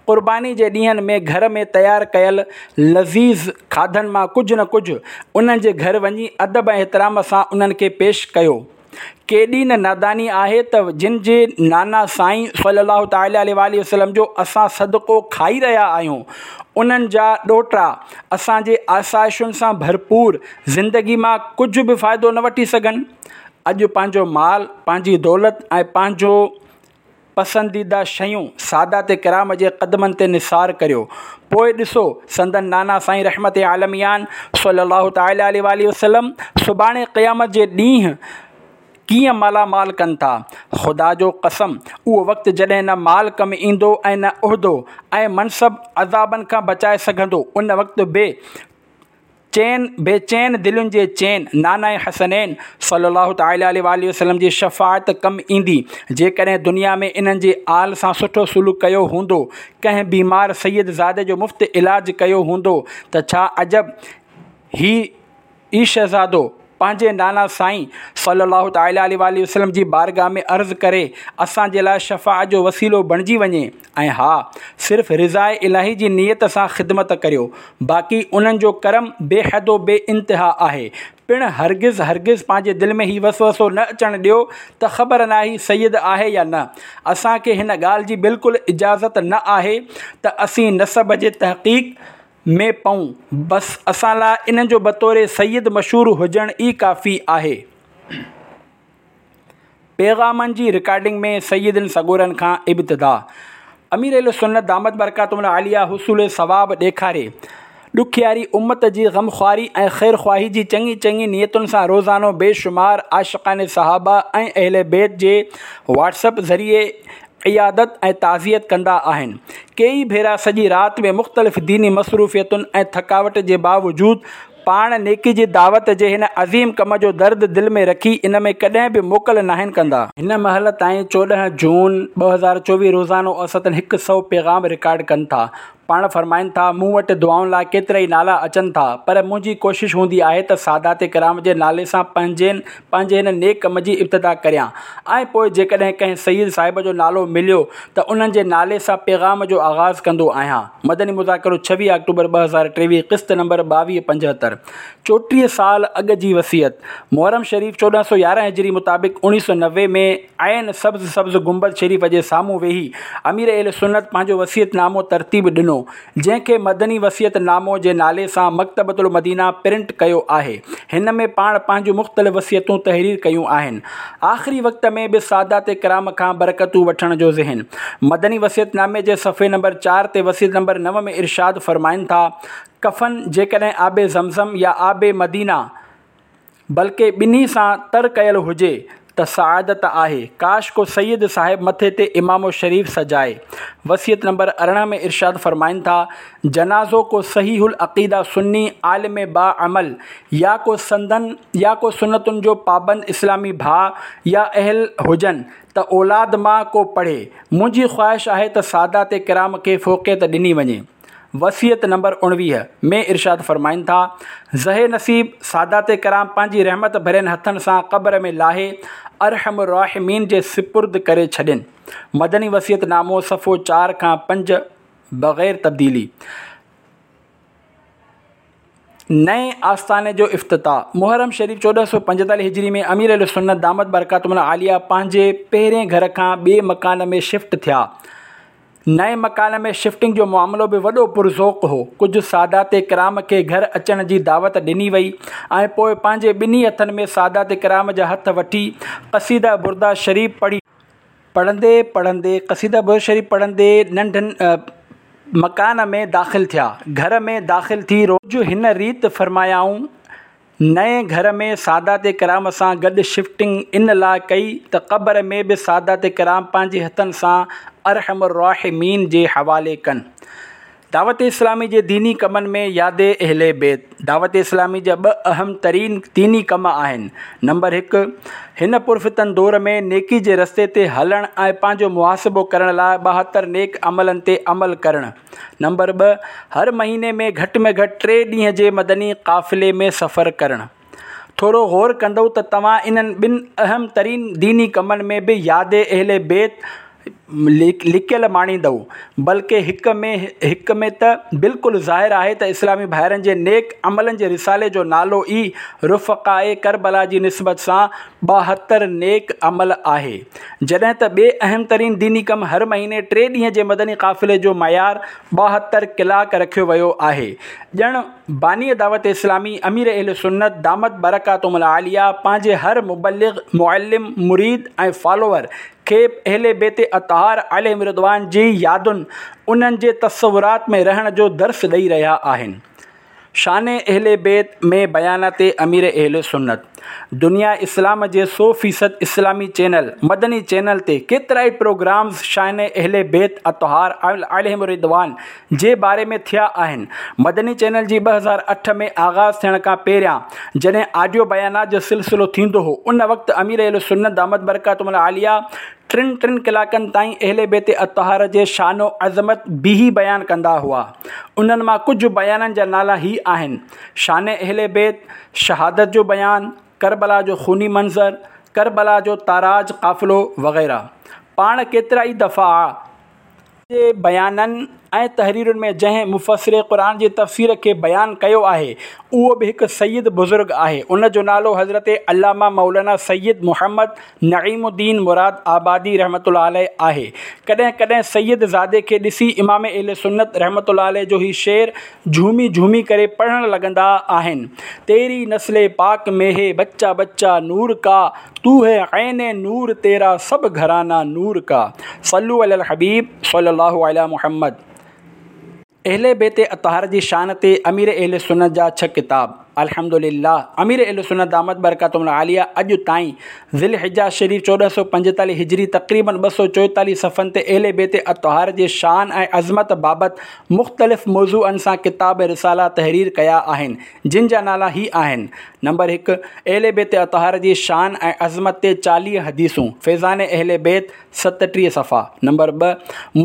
قرباني جي ڏينهن ۾ گهر ۾ تيار ڪيل لذيذ کاڌن مان ڪجهه نه ڪجهه انهن جي گهر وڃي ادب ۽ احترام سان انهن کي پيش ڪيو. ڪيڏي نه ناداني آهي ته جن جي نانا سائين صلي الله تعالٰي عليه واٰله وسلم جو اسان صدقو کائي رهيا آهيون انهن جا ڏوهٽا اسان جي آسائشن سان ڀرپور زندگي مان ڪجهه به فائدو نه وٺي سگهن. اڄ پنهنجو مال، پنهنجي دولت ۽ پنهنجو پسنديده شيون سادات ڪرام جي قدمن تي نثار ڪريو پوء ڏسو سندن نانا سائين رحمت عالميان صلي الله تعالٰي عليه واٰله وسلم سڀاڻي قيامت جي ڏينهن ڪيئن مالا مال ڪن ٿا. خدا جو قسم، اهو وقت جڏهن نه مال ڪم ايندو ۽ نه عهدو ۽ منصب عذابن کان بچائي سگهندو، ان وقت بي چين بيچين دلين جي چين ناناء حسنين صلي الله تعالٰي عليه واٰله وسلم جي شفاعت ڪم ايندي. جيڪڏهن دنيا ۾ انهن جي آل سان سٺو سلوڪ ڪيو هوندو، ڪنهن بيمار سيد زادي جو مفت علاج ڪيو هوندو ته ڇا عجب هي ئي شهزادو پنهنجي نانا سائين صلي الله تعالٰي عليه واٰله وسلم جي بارگاهه ۾ عرض ڪري اسان جي لاء شفاعت جو وسيلو بڻجي وڃي. ۽ ها، صرف رضاء الاهي جي نيت سان خدمت ڪريو، باقي انهن جو ڪرم بي حد و بي انتها آهي. پڻ هرگز هرگز پنهنجي دل ۾ هي وسوسو نه اچڻ ڏيو ته خبر ناهي سيد آهي يا نه. اسان کي هن ڳالهه جي بلڪل اجازت نه آهي ته اسين نسب جي تحقيق ۾ پئون، بس اسان لاء انهن جو بطور سيد مشهور هجڻ ئي ڪافي آهي. پيغامن جي رڪارڊنگ ۾ سيدن سڳورن کان ابتدا امير اهل سنت دامت برڪاتهم العاليه حصول ثواب ڏيکاري ڏکياري امت جي غمخواري ۽ خيرخواهي جي چڱي چڱي نيتن سان روزانو بيشمار عاشقان صحابه ۽ اهل بيت جي واٽس اپ ذريعي عيادت ۽ تعزيت ڪندا آهن. ڪيئي ڀيرا سڄي رات ۾ مختلف ديني مصروفيتن ۽ ٿڪاوٽ جي باوجود پاڻ نيڪي جي دعوت جي هن عظيم ڪم جو درد دل ۾ رکي ان ۾ ڪڏهن به موڪل ناهن ڪندا. هن مهل تائين چوڏهن جون ٻه هزار چوويهه روزانو اوسطن هڪ سؤ پيغام رڪارڊ ڪن ٿا. پاڻ فرمائن ٿا، مون وٽ دعائن لاء ڪيترائي نالا اچن ٿا، پر منهنجي ڪوشش هوندي آهي ته سادات ڪرام جي نالي سان پنهنجي پنهنجي هن نيڪ ڪم جي ابتدا ڪريان ۽ پوء جيڪڏهن ڪنهن سيد صاحب جو نالو مليو ته انهن جي نالي سان پيغام جو آغاز ڪندو آهيان. مدني مذاڪرو ڇويهه آڪٽوبر ٻه هزار ٽيويهه قسط نمبر ٻاويهه پنجهتر چوٽيهه سال اڳ جي وصيت محرم شريف چوڏهن سؤ يارهن هجري مطابق اوڻيهه سؤ نوي ۾ عين سبز سبز گنبد شريف جي سامهون ويهي امير اهل سنت پنهنجو وصيت نامو ترتيب ڏنو، جنهن کي مدني وصيت نامو جي نالي سان مڪتبة المدينه پرنٽ ڪيو آهي. هن ۾ پاڻ پنهنجون مختلف وصيتون تحرير ڪيون آهن. آخري وقت ۾ به سادات ڪرام کان برڪتون وٺڻ جو ذهن. مدني وصيت نامي جي صفحي نمبر چار تي وصيت نمبر نو ۾ ارشاد فرمائن ٿا، ڪفن جيڪڏهن آب زمزم يا آب مدينه، بلڪه ٻنهي سان تر ڪيل هجي ته سعادت آهي. ڪاش ڪو سيد صاحب مٿي تي عمامو شريف سجائي. وصيت نمبر ارڙهن ۾ ارشاد فرمائن ٿا، جنازو ڪو صحيح العقيده سني عالم باعمل يا ڪو سندن يا ڪو سنتن جو پابند اسلامي ڀاء يا اهل هجن ته اولاد مان ڪو پڙهي. منهنجي خواهش آهي ته سادات ڪرام کي فوقيت ڏني وڃي. وصيت نمبر اڻويهه ۾ ارشاد فرمائن ٿا، زه نصيب سادات ڪرام پنهنجي رحمت ڀرين هٿن سان قبر ۾ لاهي ارحم الراحمين جي سپرد ڪري ڇڏين. مدني وصيت نامو صفحو چار کان پنج بغير تبديلي. نئين آستاني جو افتتاح محرم شريف چوڏهن سؤ پنجيتاليهه هجري ۾ امير اهل سنت دامت برڪاتهم العاليه پنهنجي پهرين گهر کان ٻئي مڪان ۾ شفٽ ٿيا. نئين مڪان ۾ شفٽنگ جو معاملو به وڏو پرذوق هو. ڪجهه سادات ڪرام کي گهر اچڻ جي دعوت ڏني وئي ۽ پوء پنهنجي ٻنهي هٿن ۾ سادات ڪرام جا هٿ وٺي قصيده برده شريف پڙهي، پڙهندي پڙهندي قصيده برده شريف پڙهندي ننڍن مڪان ۾ داخل ٿيا. گهر ۾ داخل ٿي ڪجهه هن ريت فرمايائون. نئين گهر ۾ سادات ڪرام سان گڏ شفٽنگ ان لاء ڪئي ته قبر ۾ به سادات ڪرام پنهنجي هٿن سان ارحم الراحمين جي حوالي ڪن. دعوت اسلامي جي ديني ڪمن ۾ ياد اهل بيت دعوت اسلامي جا ٻه اهم ترين ديني ڪم آهن. نمبر هڪ، هن پرفتن دور ۾ نيڪي جي رستي تي هلڻ ۽ پنهنجو محاسبو ڪرڻ لاء ٻاهتر نيڪ عملن تي عمل ڪرڻ. نمبر ٻه، هر مهيني ۾ گهٽ ۾ گهٽ ٽي ڏينهن جي مدني قافلي ۾ سفر ڪرڻ. ٿورو غور ڪندؤ ته توهان انهن ٻن اهم ترين ديني ڪمن ۾ به ياد اهل بيت لڪيل ماڻيندؤ، بلڪه هڪ ۾ هڪ ۾ ته بلڪل ظاهر آهي ته اسلامي ڀائرن جي نيڪ عملن جي رسالي جو نالو ئي رفقاء ڪربلا جي نسبت سان ٻاهتر نيڪ عمل آهي. جڏهن ته ٻئي اهم ترين ديني ڪم هر مهيني ٽي ڏينهن جي مدني قافلي جو معيار ٻاهتر ڪلاڪ رکيو ويو آهي. ڄڻ باني دعوت اسلامي امير اهل سنت دامت برڪاتهم العاليه پنهنجي هر مبلغ، معلم، مريد ۽ فالوور کي اهل بيت اطهار عليهم الرضوان جي يادن، انهن جي تصورات ۾ رهڻ جو درس ڏئي رهيا آهن. شان اهل بيت ۾ بيانات امير اهل سنت. دنيا اسلام جي سو فيصد اسلامي چينل مدني چينل تي ڪيترائي پروگرامز شان اهل بيت اطهار عليهم الرضوان جي باري ۾ ٿيا آهن. مدني چينل جي ٻه هزار اٺ ۾ آغاز ٿيڻ کان پهريان جڏهن آڊيو بيانات جو سلسلو ٿيندو هو، ان وقت امير اهل سنت دامت برڪاتهم العاليه ٽن ٽن ڪلاڪن تائين اهل بيت اطهار جي شان و عظمت بيهي بيان ڪندا هئا. انهن مان ڪجهه بيانن جا نالا هي آهن: شان اهل بيت، شهادت جو بيان، ڪربلا جو خوني منظر، ڪربلا جو تاراج قافلو وغيره. پاڻ ڪيترائي دفعا جي بيانن ۽ تحريرن ۾ جنهن مفسر قرآن جي تفسير کي بيان ڪيو آهي، اهو به هڪ سيد بزرگ آهي. ان جو نالو حضرت علامه مولانا سيد محمد نعيم الدين مراد آبادي رحمة الله عليه آهي. ڪڏهن ڪڏهن سيد زادي کي ڏسي امام اهل سنت رحمة الله عليه جو هي شعر جهومي جهومي ڪري پڙهڻ لڳندا آهن: تيري نسل پاڪ ۾ هي بچه بچه نور ڪا، تو هي عين نور تيرا سب گهرانا نور ڪا. صلو علي الحبيب صلي الله علي محمد. اهل بيت اطهار جي شان تي امير اهل سنت جا ڇهه ڪتاب. الحمدلله امير اهل سنت دامت برڪاتهم العاليه اڄ تائين ذي الحجه شريف چوڏهن سؤ پنجيتاليهه هجري تقريباً ٻه سؤ چوئيتاليهه صفحن تي اهل بيت اطهار جي شان ۽ عظمت بابت مختلف موضوعن سان ڪتاب ۽ رسالا تحرير ڪيا آهن، جن جا نالا هي آهن: نمبر هڪ، اهل بيت اطهار جي شان ۽ عظمت تي چاليهه حديثون، فيضان اهل بيت، ستٽيهه صفحا. نمبر ٻه،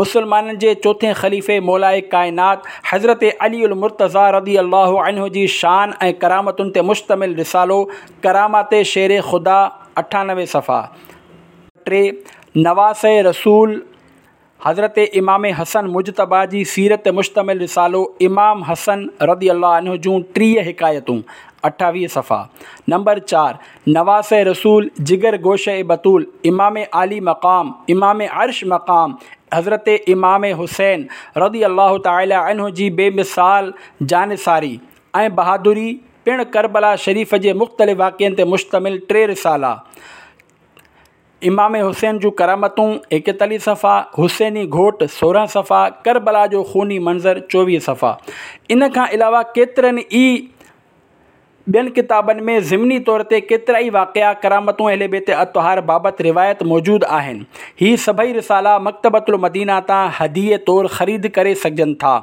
مسلمانن جي چوٿين خليفي مولائي ڪائنات حضرت علي المرتضيٰ رضي الله عنه جي شان ۽ ڪرامتن تي مشتمل رسالو ڪرامات شير خدا، اٺانوي صفحا. ٽي، نواسه رسول حضرت امام حسن مجتبيٰ جي سيرت تي مشتمل رسالو امام حسن رضي الله عنه جون ٽيهه حڪايتون، اٺاويهه صفحا. نمبر چار، نواسه رسول جگر گوشه بتول امام عالي مقام امام عرش مقام حضرت امام حسين رضي الله تعالٰي عنه جي بي مثال جانثاري ۽ بهادري پڻ ڪربلا شريف جي مختلف واقعن تي مشتمل ٽي رسالا، امام حسين جون ڪرامتون، ايڪيتاليهه صفحا، حسيني گهوٽ، سورهن صفحا، ڪربلا جو خوني منظر، چوويهه صفحا. ان کان علاوه ڪيترن ئي ٻين ڪتابن ۾ ضمني طور تي ڪيترائي واقعا، ڪرامتون اهل بيت اطهار بابت روايت موجود آهن. هي سڀئي رسالا مڪتبة المدينه تان هديي طور خريد ڪري سگهجن ٿا.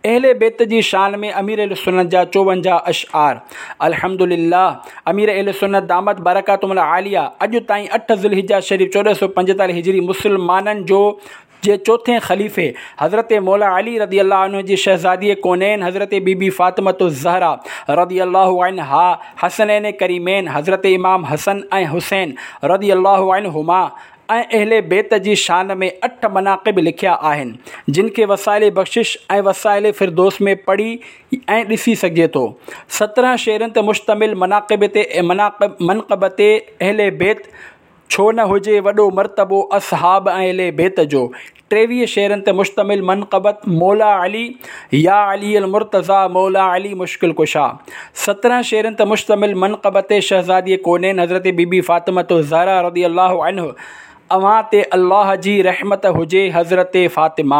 اهل بيت جي شان ۾ امير اهل سنت جا چوونجاهه اشعار. الحمد لله امير اهل سنت دامت برڪاتهم العاليه اڄ تائين اٺ ذوالحجه شريف چوڏهن سؤ پنجيتاليهه هجري مسلمانن جو جي چوٿين خليفي حضرت مولا علي رضي الله عنه جي شهزادي ڪونين حضرت بي بي فاطمة الزهرا رضي الله عنها حسنين ڪريمين حضرت امام حسن ۽ حسين رضي الله عنهما ۽ اهل بيت جي شان ۾ اٺ مناقب لکيا آهن، جن کي وسائل بخشش ۽ وسائل فردوس ۾ پڙهي ۽ ڏسي سگهجي ٿو. سترهن شعرن تي مشتمل مناقب تي منقبت اهل بيت ڇو نه هجي وڏو مرتبو اصحاب ۽ اهل بيت جو، ٽيويهه شعرن تي مشتمل منقبت مولا علي يا علي المرتضيٰ مولا علي مشڪل ڪشا، سترهن شعرن تي مشتمل منقبت شهزادي ڪونين حضرت بي بي فاطمة الزهرا رضي الله عنه اوهان تي الله جي رحمت هجي حضرت فاطمه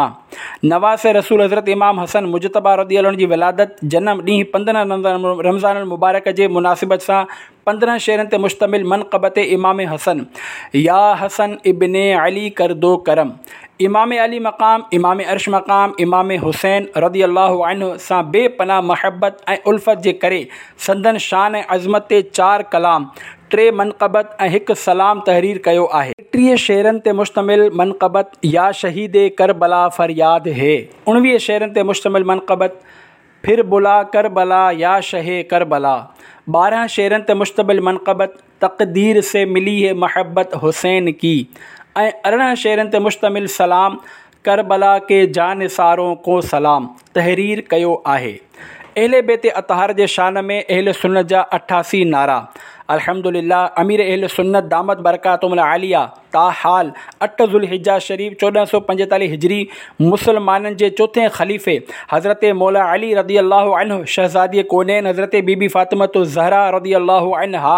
نواسه رسول حضرت امام حسن مجتبيٰ رضي الله عنه جي ولادت جنم ڏينهن پندرهن رمضان المبارڪ جي مناسبت سان پندرهن شعرن تي مشتمل منقبت امام حسن يا حسن ابن علي ڪردو ڪرم امام عالي مقام امام عرش مقام امام حسين رضي الله عنه سان بي پناهه محبت ۽ الفت جي ڪري سندن شان ۽ عظمت تي چار ڪلام، ٽي منقبت ۽ هڪ سلام تحرير ڪيو آهي. ٽيهه شعرن تي مشتمل منقبت يا شهيد ڪربلا فرياد هي، اڻويهه شعرن تي مشتمل منقبت ڦر بلا ڪربلا يا شهه ڪربلا، ٻارهن شعرن تي مشتمل منقبت تقدير سي ملي هي محبت حسين ڪي ۽ ارڙهن شعرن تي مشتمل سلام ڪربلا ڪي جانثارون ڪو سلام تحرير ڪيو آهي. اهل بيت اطهار جي شان ۾ اهل سنت جا اٺاسي نعرا. الحمدلله امير اهل سنت دامت برڪاتهم العاليه تاحال اٺ ذوالحجه شريف چوڏهن سؤ پنجيتاليهه هجري مسلمانن جي چوٿين خليفي حضرت مولا علي رضي الله عنه شهزادي ڪونين حضرت بي بي فاطمة الزهرا رضي الله عنها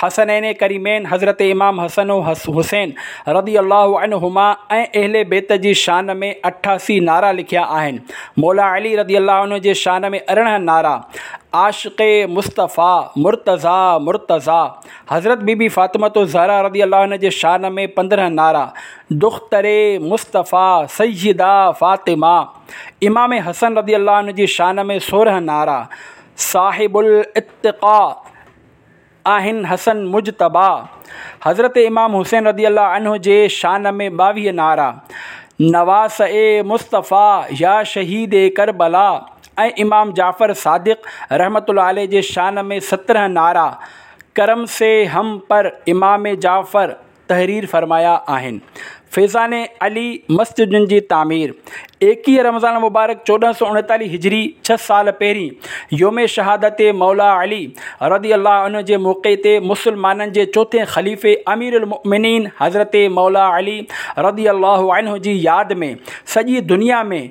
حسنين ڪريمين حضرت امام حسن و حسين رضي الله عنهما ۽ اهل بيت جي شان ۾ اٺاسي نعرا لکيا آهن. مولا علي رضي الله عنه جي شان ۾ ارڙهن نعرا. عاشق مصطفيٰ مرتضيٰ مرتضيٰ. حضرت بي بي فاطمة الزهرا رضي الله عنها جي شان ۾ پندرهن نعرا، دختر مصطفيٰ سيده فاطمه. امام حسن رضي الله عنه جي شان ۾ سورهن نعرا، صاحب الاتقاء آهن حسن مجتبيٰ. حضرت امام حسين رضي الله عنه جي شان ۾ ٻاويهه نعرا، نواسه مصطفيٰ يا شهيد ڪربلا. ۽ امام جعفر صادق رحمة الله عليه جي شان ۾ سترهن نعرا، ڪرم سي هم پر امام جعفر تحرير فرمايا آهن. فيضان علي مسجدن جي تعمير. ايڪيهه رمضان مبارڪ چوڏهن سؤ اڻيتاليهه هجري، ڇهه سال پهرين يوم شهادت مولا علي رضي الله عنه جي موقعي تي مسلمانن جي چوٿين خليفي امير المؤمنين حضرت مولا علي رضي الله عنه جي ياد ۾ سڄي دنيا ۾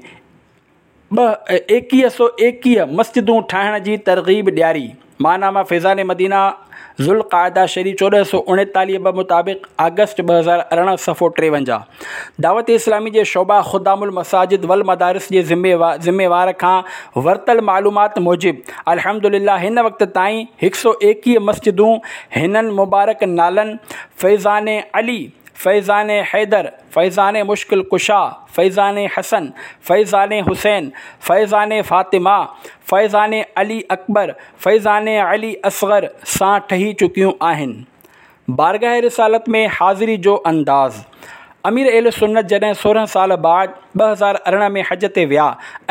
ٻه ايڪيهه سؤ ايڪيهه مسجدون ٺاهڻ جي ترغيب ڏياري. ماهنامه فيضان مدينه ذوالقعده شريف چوڏهن سؤ اڻيتاليهه ٻه مطابق آگسٽ ٻه هزار ارڙهن صفحو ٽيونجاهه. دعوت اسلامي جي شعبه خدام المساجد والمدارس جي ذميوار کان ورتل معلومات موجب الحمدلله هن وقت تائين هڪ سؤ ايڪيهه مسجدون هنن مبارڪ نالن فيضان علي، فيضان حيدر، فيضان مشڪل ڪشا، فيضان حسن، فيضان حسين، فيضان فاطمه، فيضان علي اڪبر، فيضان علي اصغر سان ٺهي چڪيون آهن. بارگاهه رسالت ۾ حاضري جو انداز. امير اهل سنت جڏهن سورهن سال بعد ٻه هزار ارڙهن ۾ حج تي ويا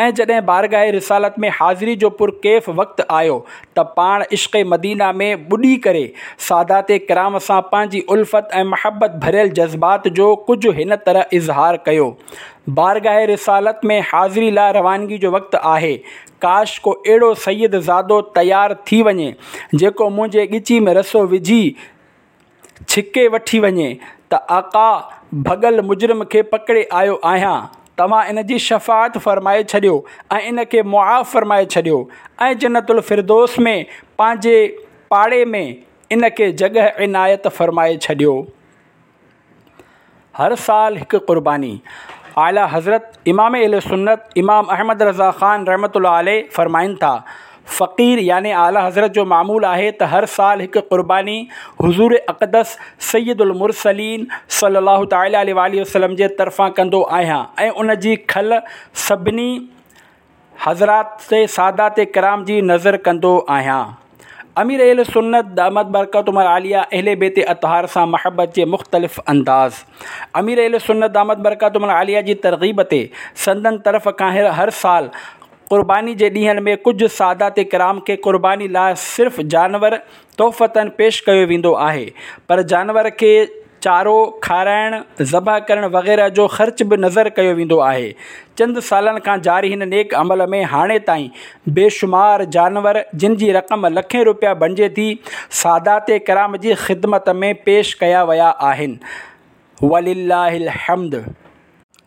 ۽ جڏهن بارگاهه رسالت ۾ حاضري جو پرڪيف وقت آيو ته پاڻ عشق مدينه ۾ ٻڏي ڪري سادات ڪرام سان پنهنجي الفت ۽ محبت ڀريل جذبات جو ڪجهه هن طرح اظهار ڪيو. بارگاهه رسالت ۾ حاضري لاء روانگي جو وقت آهي، ڪاش ڪو اهڙو سيد زادو تيار ٿي وڃي جيڪو منهنجي ڳچي ۾ رسو وجهي ڇڪي وٺي وڃي ته آقا ڀڳل مجرم کي پڪڙي آيو آهيان، توهان ان جي شفاعت فرمائي ڇڏيو ۽ ان کي معاف فرمائي ڇڏيو ۽ جنت الفردوس ۾ پنهنجي پاڙي ۾ ان کي جڳهه عنايت فرمائي ڇڏيو. هر سال هڪ قرباني. اعليٰ حضرت امام اهل سنت امام احمد رضا خان رحمة الله عليه فرمائن ٿا، فقير يعني اعليٰ حضرت جو معمول آهي ته هر سال هڪ قرباني حضور اقدس سيد المرسلين صلي الله تعالٰي عليه واٰله وسلم جي طرفان ڪندو آهيان ۽ ان جي کل سڀني حضرات سادات ڪرام جي نذر ڪندو آهيان. امير اهل سنت دامت برڪاتهم العاليه اهل بيت اطهار سان محبت جي مختلف انداز. امير اهل سنت دامت برڪاتهم العاليه جي ترغيب تي سندن طرف کان هر سال قرباني جي ڏينهن ۾ ڪجهه سادات ڪرام کي قرباني لاء صرف جانور تحفتاً پيش ڪيو ويندو آهي، پر جانور کي چارو کارائڻ، ذبح ڪرڻ وغيره جو خرچ به نذر ڪيو ويندو آهي. چند سالن کان جاري هن نيڪ عمل ۾ هاڻي تائين بيشمار جانور جن جي رقم لکين روپيا بڻجي ٿي، سادات ڪرام جي خدمت ۾ پيش ڪيا ويا آهن. ولله الحمد.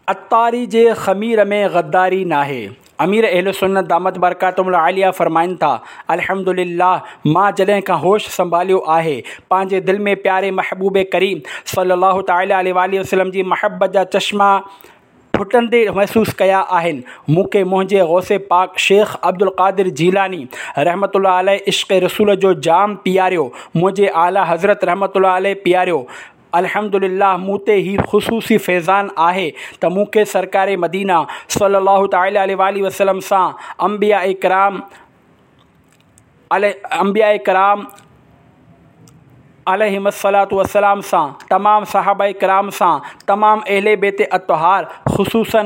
عطاري جي خمير ۾ غداري ناهي. امير اهل سنت دامت برڪاتهم العاليه فرمائن ٿا، الحمدلله مان جڏهن کان هوش سنڀاليو آهي پنهنجي دل ۾ پياري محبوب ڪريم صلي الله تعالٰي عليه واٰله وسلم جي محبت جا چشما ڦٽندي محسوس ڪيا آهن. مون کي منهنجي غوث پاڪ شيخ عبدالقادر جيلاني رحمة الله عليه عشق رسول جو جام پياريو، منهنجي اعليٰ حضرت رحمة الله عليه پياريو. الحمدلله مون تي هي خصوصي فيضان آهي ته مون کي سرڪار مدينه صلي الله تعالٰي عليه واٰله وسلم سان انبياء ڪرام انبياء ڪرام عليهم الصلوة والسلام سان، تمام صحابه ڪرام سان، تمام اهل بيت اطهار خصوصاً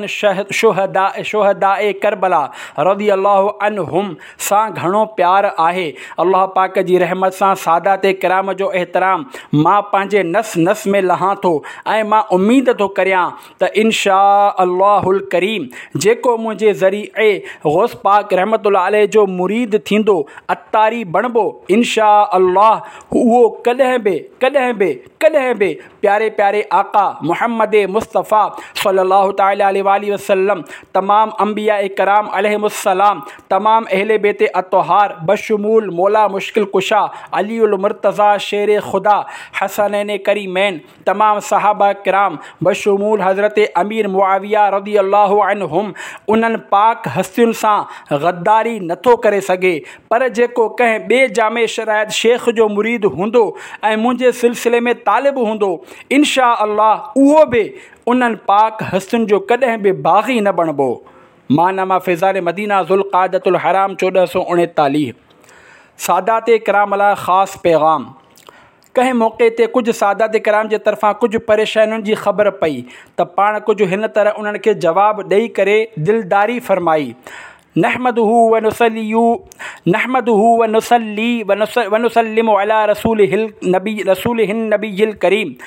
شهداء شهداء ڪربلا رضي الله عنهم سان گهڻو پيار آهي. الله پاڪ جي رحمت سان سادات ڪرام جو احترام مان پنهنجي نس نس ۾ لهان ٿو ۽ مان اميد ٿو ڪريان ته ان شاء الله الڪريم جيڪو منهنجي ذريعي غوث پاڪ رحمة الله عليه جو مريد ٿيندو، عطاري بڻبو، ان شاء الله اهو ڪڏهن ڪڏهن به ڪڏهن به ڪڏهن به پياري پياري آقا محمد مصطفيٰ صلي الله تعالٰي عليه واٰله وسلم، تمام انبياء ڪرام عليهم السلام، تمام اهل بيت اطهار بشمول مولا مشڪل ڪشا، علي المرتضيٰ شير خدا، حسنين ڪريمين، تمام صحابه ڪرام بشمول حضرت امير معاويه رضي الله عنهم انهن پاڪ هستين سان غداري نٿو ڪري سگهي، پر جيڪو ڪنهن ٻئي جامع شريعت شيخ جو مريد هوندو ۽ منهنجي سلسلي ۾ طالب هوندو، انشاء الله اهو به انهن پاڪ هستين جو ڪڏهن به باغي نه بڻبو. ماهنامه فيضان مدينه ذوالقعدة الحرام چوڏهن سؤ اڻيتاليهه. سادات ڪرام لاء خاص پيغام. ڪنهن موقعي تي ڪجهه سادات ڪرام جي طرفان ڪجهه پريشانين جي خبر پئي ته پاڻ ڪجهه هن طرح انهن کي جواب ڏئي ڪري دلداري فرمائي، نحمده ونصلي نحمده ونصلي ونسلم علي رسوله النبي رسوله النبي الڪريم.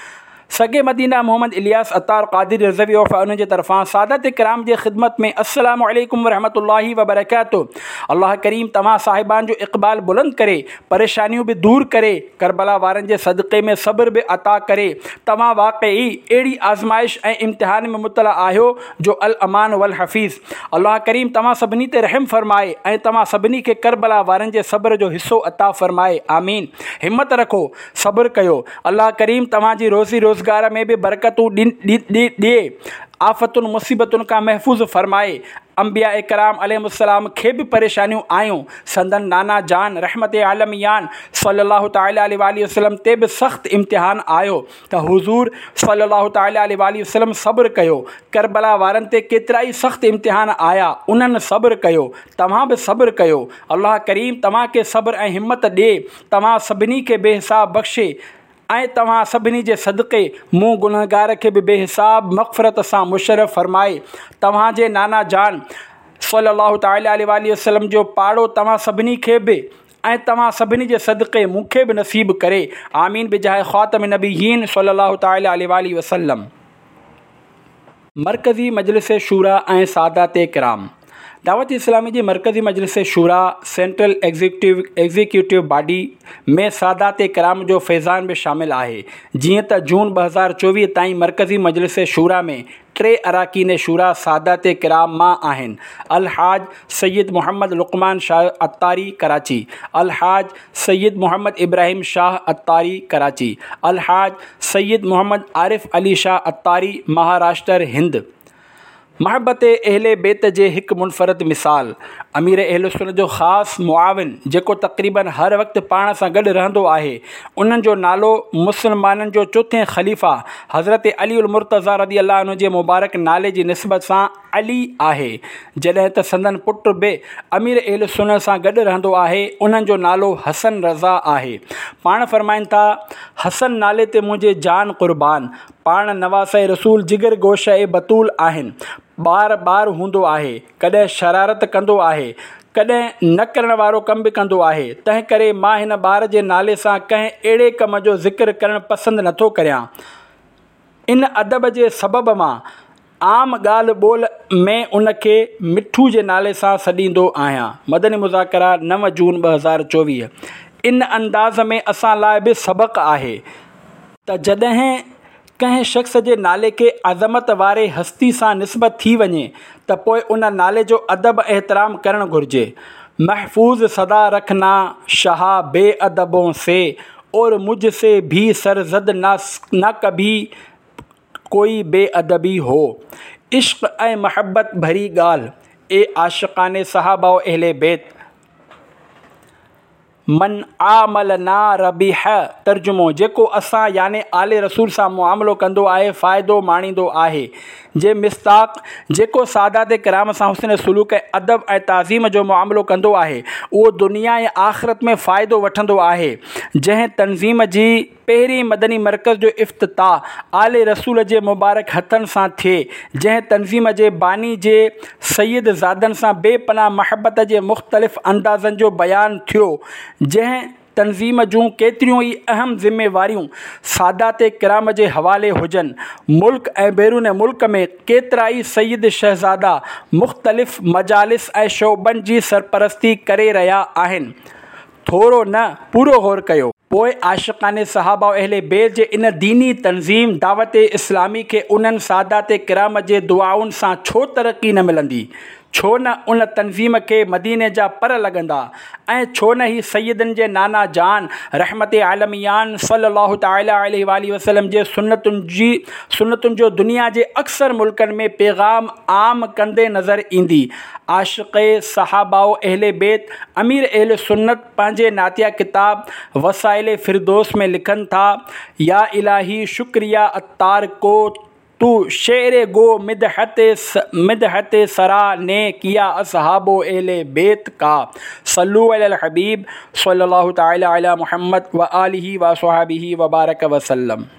سگي مدينه محمد الياس عطار قادري رضوي عرف انهن جي طرفان سادات ڪرام جي خدمت ۾ السلام عليڪم ورحمة الله وبرڪاته الله ڪريم توهان صاحبان جو اقبال بلند ڪري پريشانيون به دور ڪري ڪربلا وارن جي صدقي ۾ صبر به عطا ڪري توهان واقعي اهڙي آزمائش ۽ امتحان ۾ مبتلا آهيو جو الامان والحفيظ الله ڪريم توهان سڀني تي رحم فرمائي ۽ توهان سڀني کي ڪربلا وارن جي صبر جو حصو عطا فرمائي آمين همت رکو صبر ڪيو، الله ڪريم توهان جي روزي روزگار ۾ به برڪتون ڏئي، آفتن مصيبتن کان محفوظ فرمائي. انبياء ڪرام عليهم السلام کي به پريشانيون آيون، سندن نانا جان رحمت عالميان صلي الله تعالٰي عليه واٰله وسلم تي به سخت امتحان آيو ته حضور صلي الله تعالٰي عليه واٰله وسلم صبر ڪيو، ڪربلا وارن تي ڪيترائي سخت امتحان آيا انهن صبر ڪيو، توهان به صبر ڪيو، الله ڪريم توهان کي صبر ۽ همت ڏئي. توهان سڀني کي بي حساب بخشي ۽ توهان سڀني جي صدقي مون گنهگار کي به بي حساب مغفرت سان مشرف فرمائي. توهان جي نانا جان صلي الله تعالٰي عليه واٰله وسلم جو پاڙو توهان سڀني کي به ۽ توهان سڀني جي صدقي مون کي به نصيب ڪري. آمين بجاه خاتم النبيين صلي الله تعالٰي عليه واٰله وسلم. مرڪزي مجلس شوريٰ ۽ سادات ڪرام دعوت اسلامي جي مرڪزي مجلس شوريٰ، سينٽرل ايگزيڪيوٽو باڊي، ۾ سادات ڪرام جو فيضان به شامل آهي. جيئن ته جون ٻه هزار چوويهه تائين مرڪزي مجلس شوريٰ ۾ ٽي اراڪين شوريٰ سادات ڪرام مان آهن، الحاج سيد محمد لقمان شاهه عطاري ڪراچي، الحاج سيد محمد ابراهيم شاهه عطاري ڪراچي، الحاج سيد محمد عارف علي شاهه عطاري مهاراشٽر هند. محبت اهل بيت جي هڪ منفرد مثال، امير اهل سنت جو خاص معاون جيڪو تقريباً هر وقت پاڻ سان گڏ رهندو آهي، انهن جو نالو مسلمانن جو چوٿين خليفه حضرت علي المرتضيٰ رضي الله عنه جي مبارڪ نالي جي نسبت سان علي آهي، جڏهن ته سندن پٽ به امير اهل سنت سان گڏ رهندو آهي، انهن جو نالو حسن رضا آهي. پاڻ فرمائن ٿا، حسن نالي تي منهنجي جان قربان، پاڻ نواسه رسول جگر گوشه بتول آهن، ٻار ٻار هوندو آهي، ڪڏهن شرارت ڪندو آهي، ڪڏهن نه ڪرڻ وارو ڪم به ڪندو آهي، تنهن ڪري مان هن ٻار جي نالي سان ڪنهن اهڙي ڪم جو ذڪر ڪرڻ پسند نٿو ڪريان. ان ادب جي سبب مان عام ڳالهه ٻولهه ۾ ان کي مٺو جي نالي سان سڏيندو آهيان. مدني مذاڪرا نو جون ٻه هزار چوويهه ان انداز ۾ اسان لاء به سبق آهي، ته جڏهن ڪنهن شخص جي نالي کي عظمت واري هستي سان نسبت ٿي وڃي ته پوء ان نالي جو ادب ۽ احترام ڪرڻ گهرجي. محفوظ سدا رکنا شاهه بي ادبون سي اور مجھ سي ڀي سرزد نه ڪڀي ڪوئي بي ادبي هو. عشق ۽ محبت ڀري ڳالهه، اي عاشقان صحابه و اهل بيت! من عاملنا ربح، ترجمو، جيڪو اسان يعني آل رسول سان معاملو ڪندو آهي فائدو ماڻيندو آهي. جي مصداق، جيڪو سادات ڪرام سان حسن سلوڪ ۽ ادب ۽ تعظيم جو معاملو ڪندو آهي، اهو دنيا ۽ آخرت ۾ فائدو وٺندو آهي. جنهن تنظيم جي پهرين مدني مرڪز جو افتتاح آل رسول جي مبارڪ هٿن سان ٿئي، جنهن تنظيم جي باني جي سيد زادن سان بي پناهه محبت جي مختلف اندازن جو بيان ٿيو، جنهن تنظيم جون ڪيتريون ئي اهم ذميواريون سادات ڪرام جي حوالي هجن، ملڪ ۽ بيرون ملڪ ۾ ڪيترائي سيد شهزادا مختلف مجالس ۽ شعبن جي سرپرستي ڪري رهيا آهن. ٿورو نه پورو غور ڪيو. پوءِ عاشقان صحابه و اهل بيت جي ان ديني تنظيم دعوت اسلامي کي انهن سادات ڪرام جي دعائن سان ڇو ترقي نه ملندي؟ ڇو نه ان تنظيم کي مديني جا پر لڳندا ۽ ڇو نه هي سيدن جي نانا جان رحمت عالميان صلي الله تعالٰي عليه واٰله وسلم جي سنتن جي سنتن جو دنيا جي اڪثر ملڪن ۾ پيغام عام ڪندي نظر ايندي. عاشق صحابه و اهل بيت امير اهل سنت پنهنجي نعتيه ڪتاب وسائل فردوس ۾ لکن ٿا، يا الاهي شڪريه عطار ڪو تو شعر گو مدحت مدحت سرا ني ڪيا اصحاب و اهل بيت ڪا. صلو علی الحبيب صلي الله تعالٰي علي محمد وآله واصحابه وبارڪ وسلم.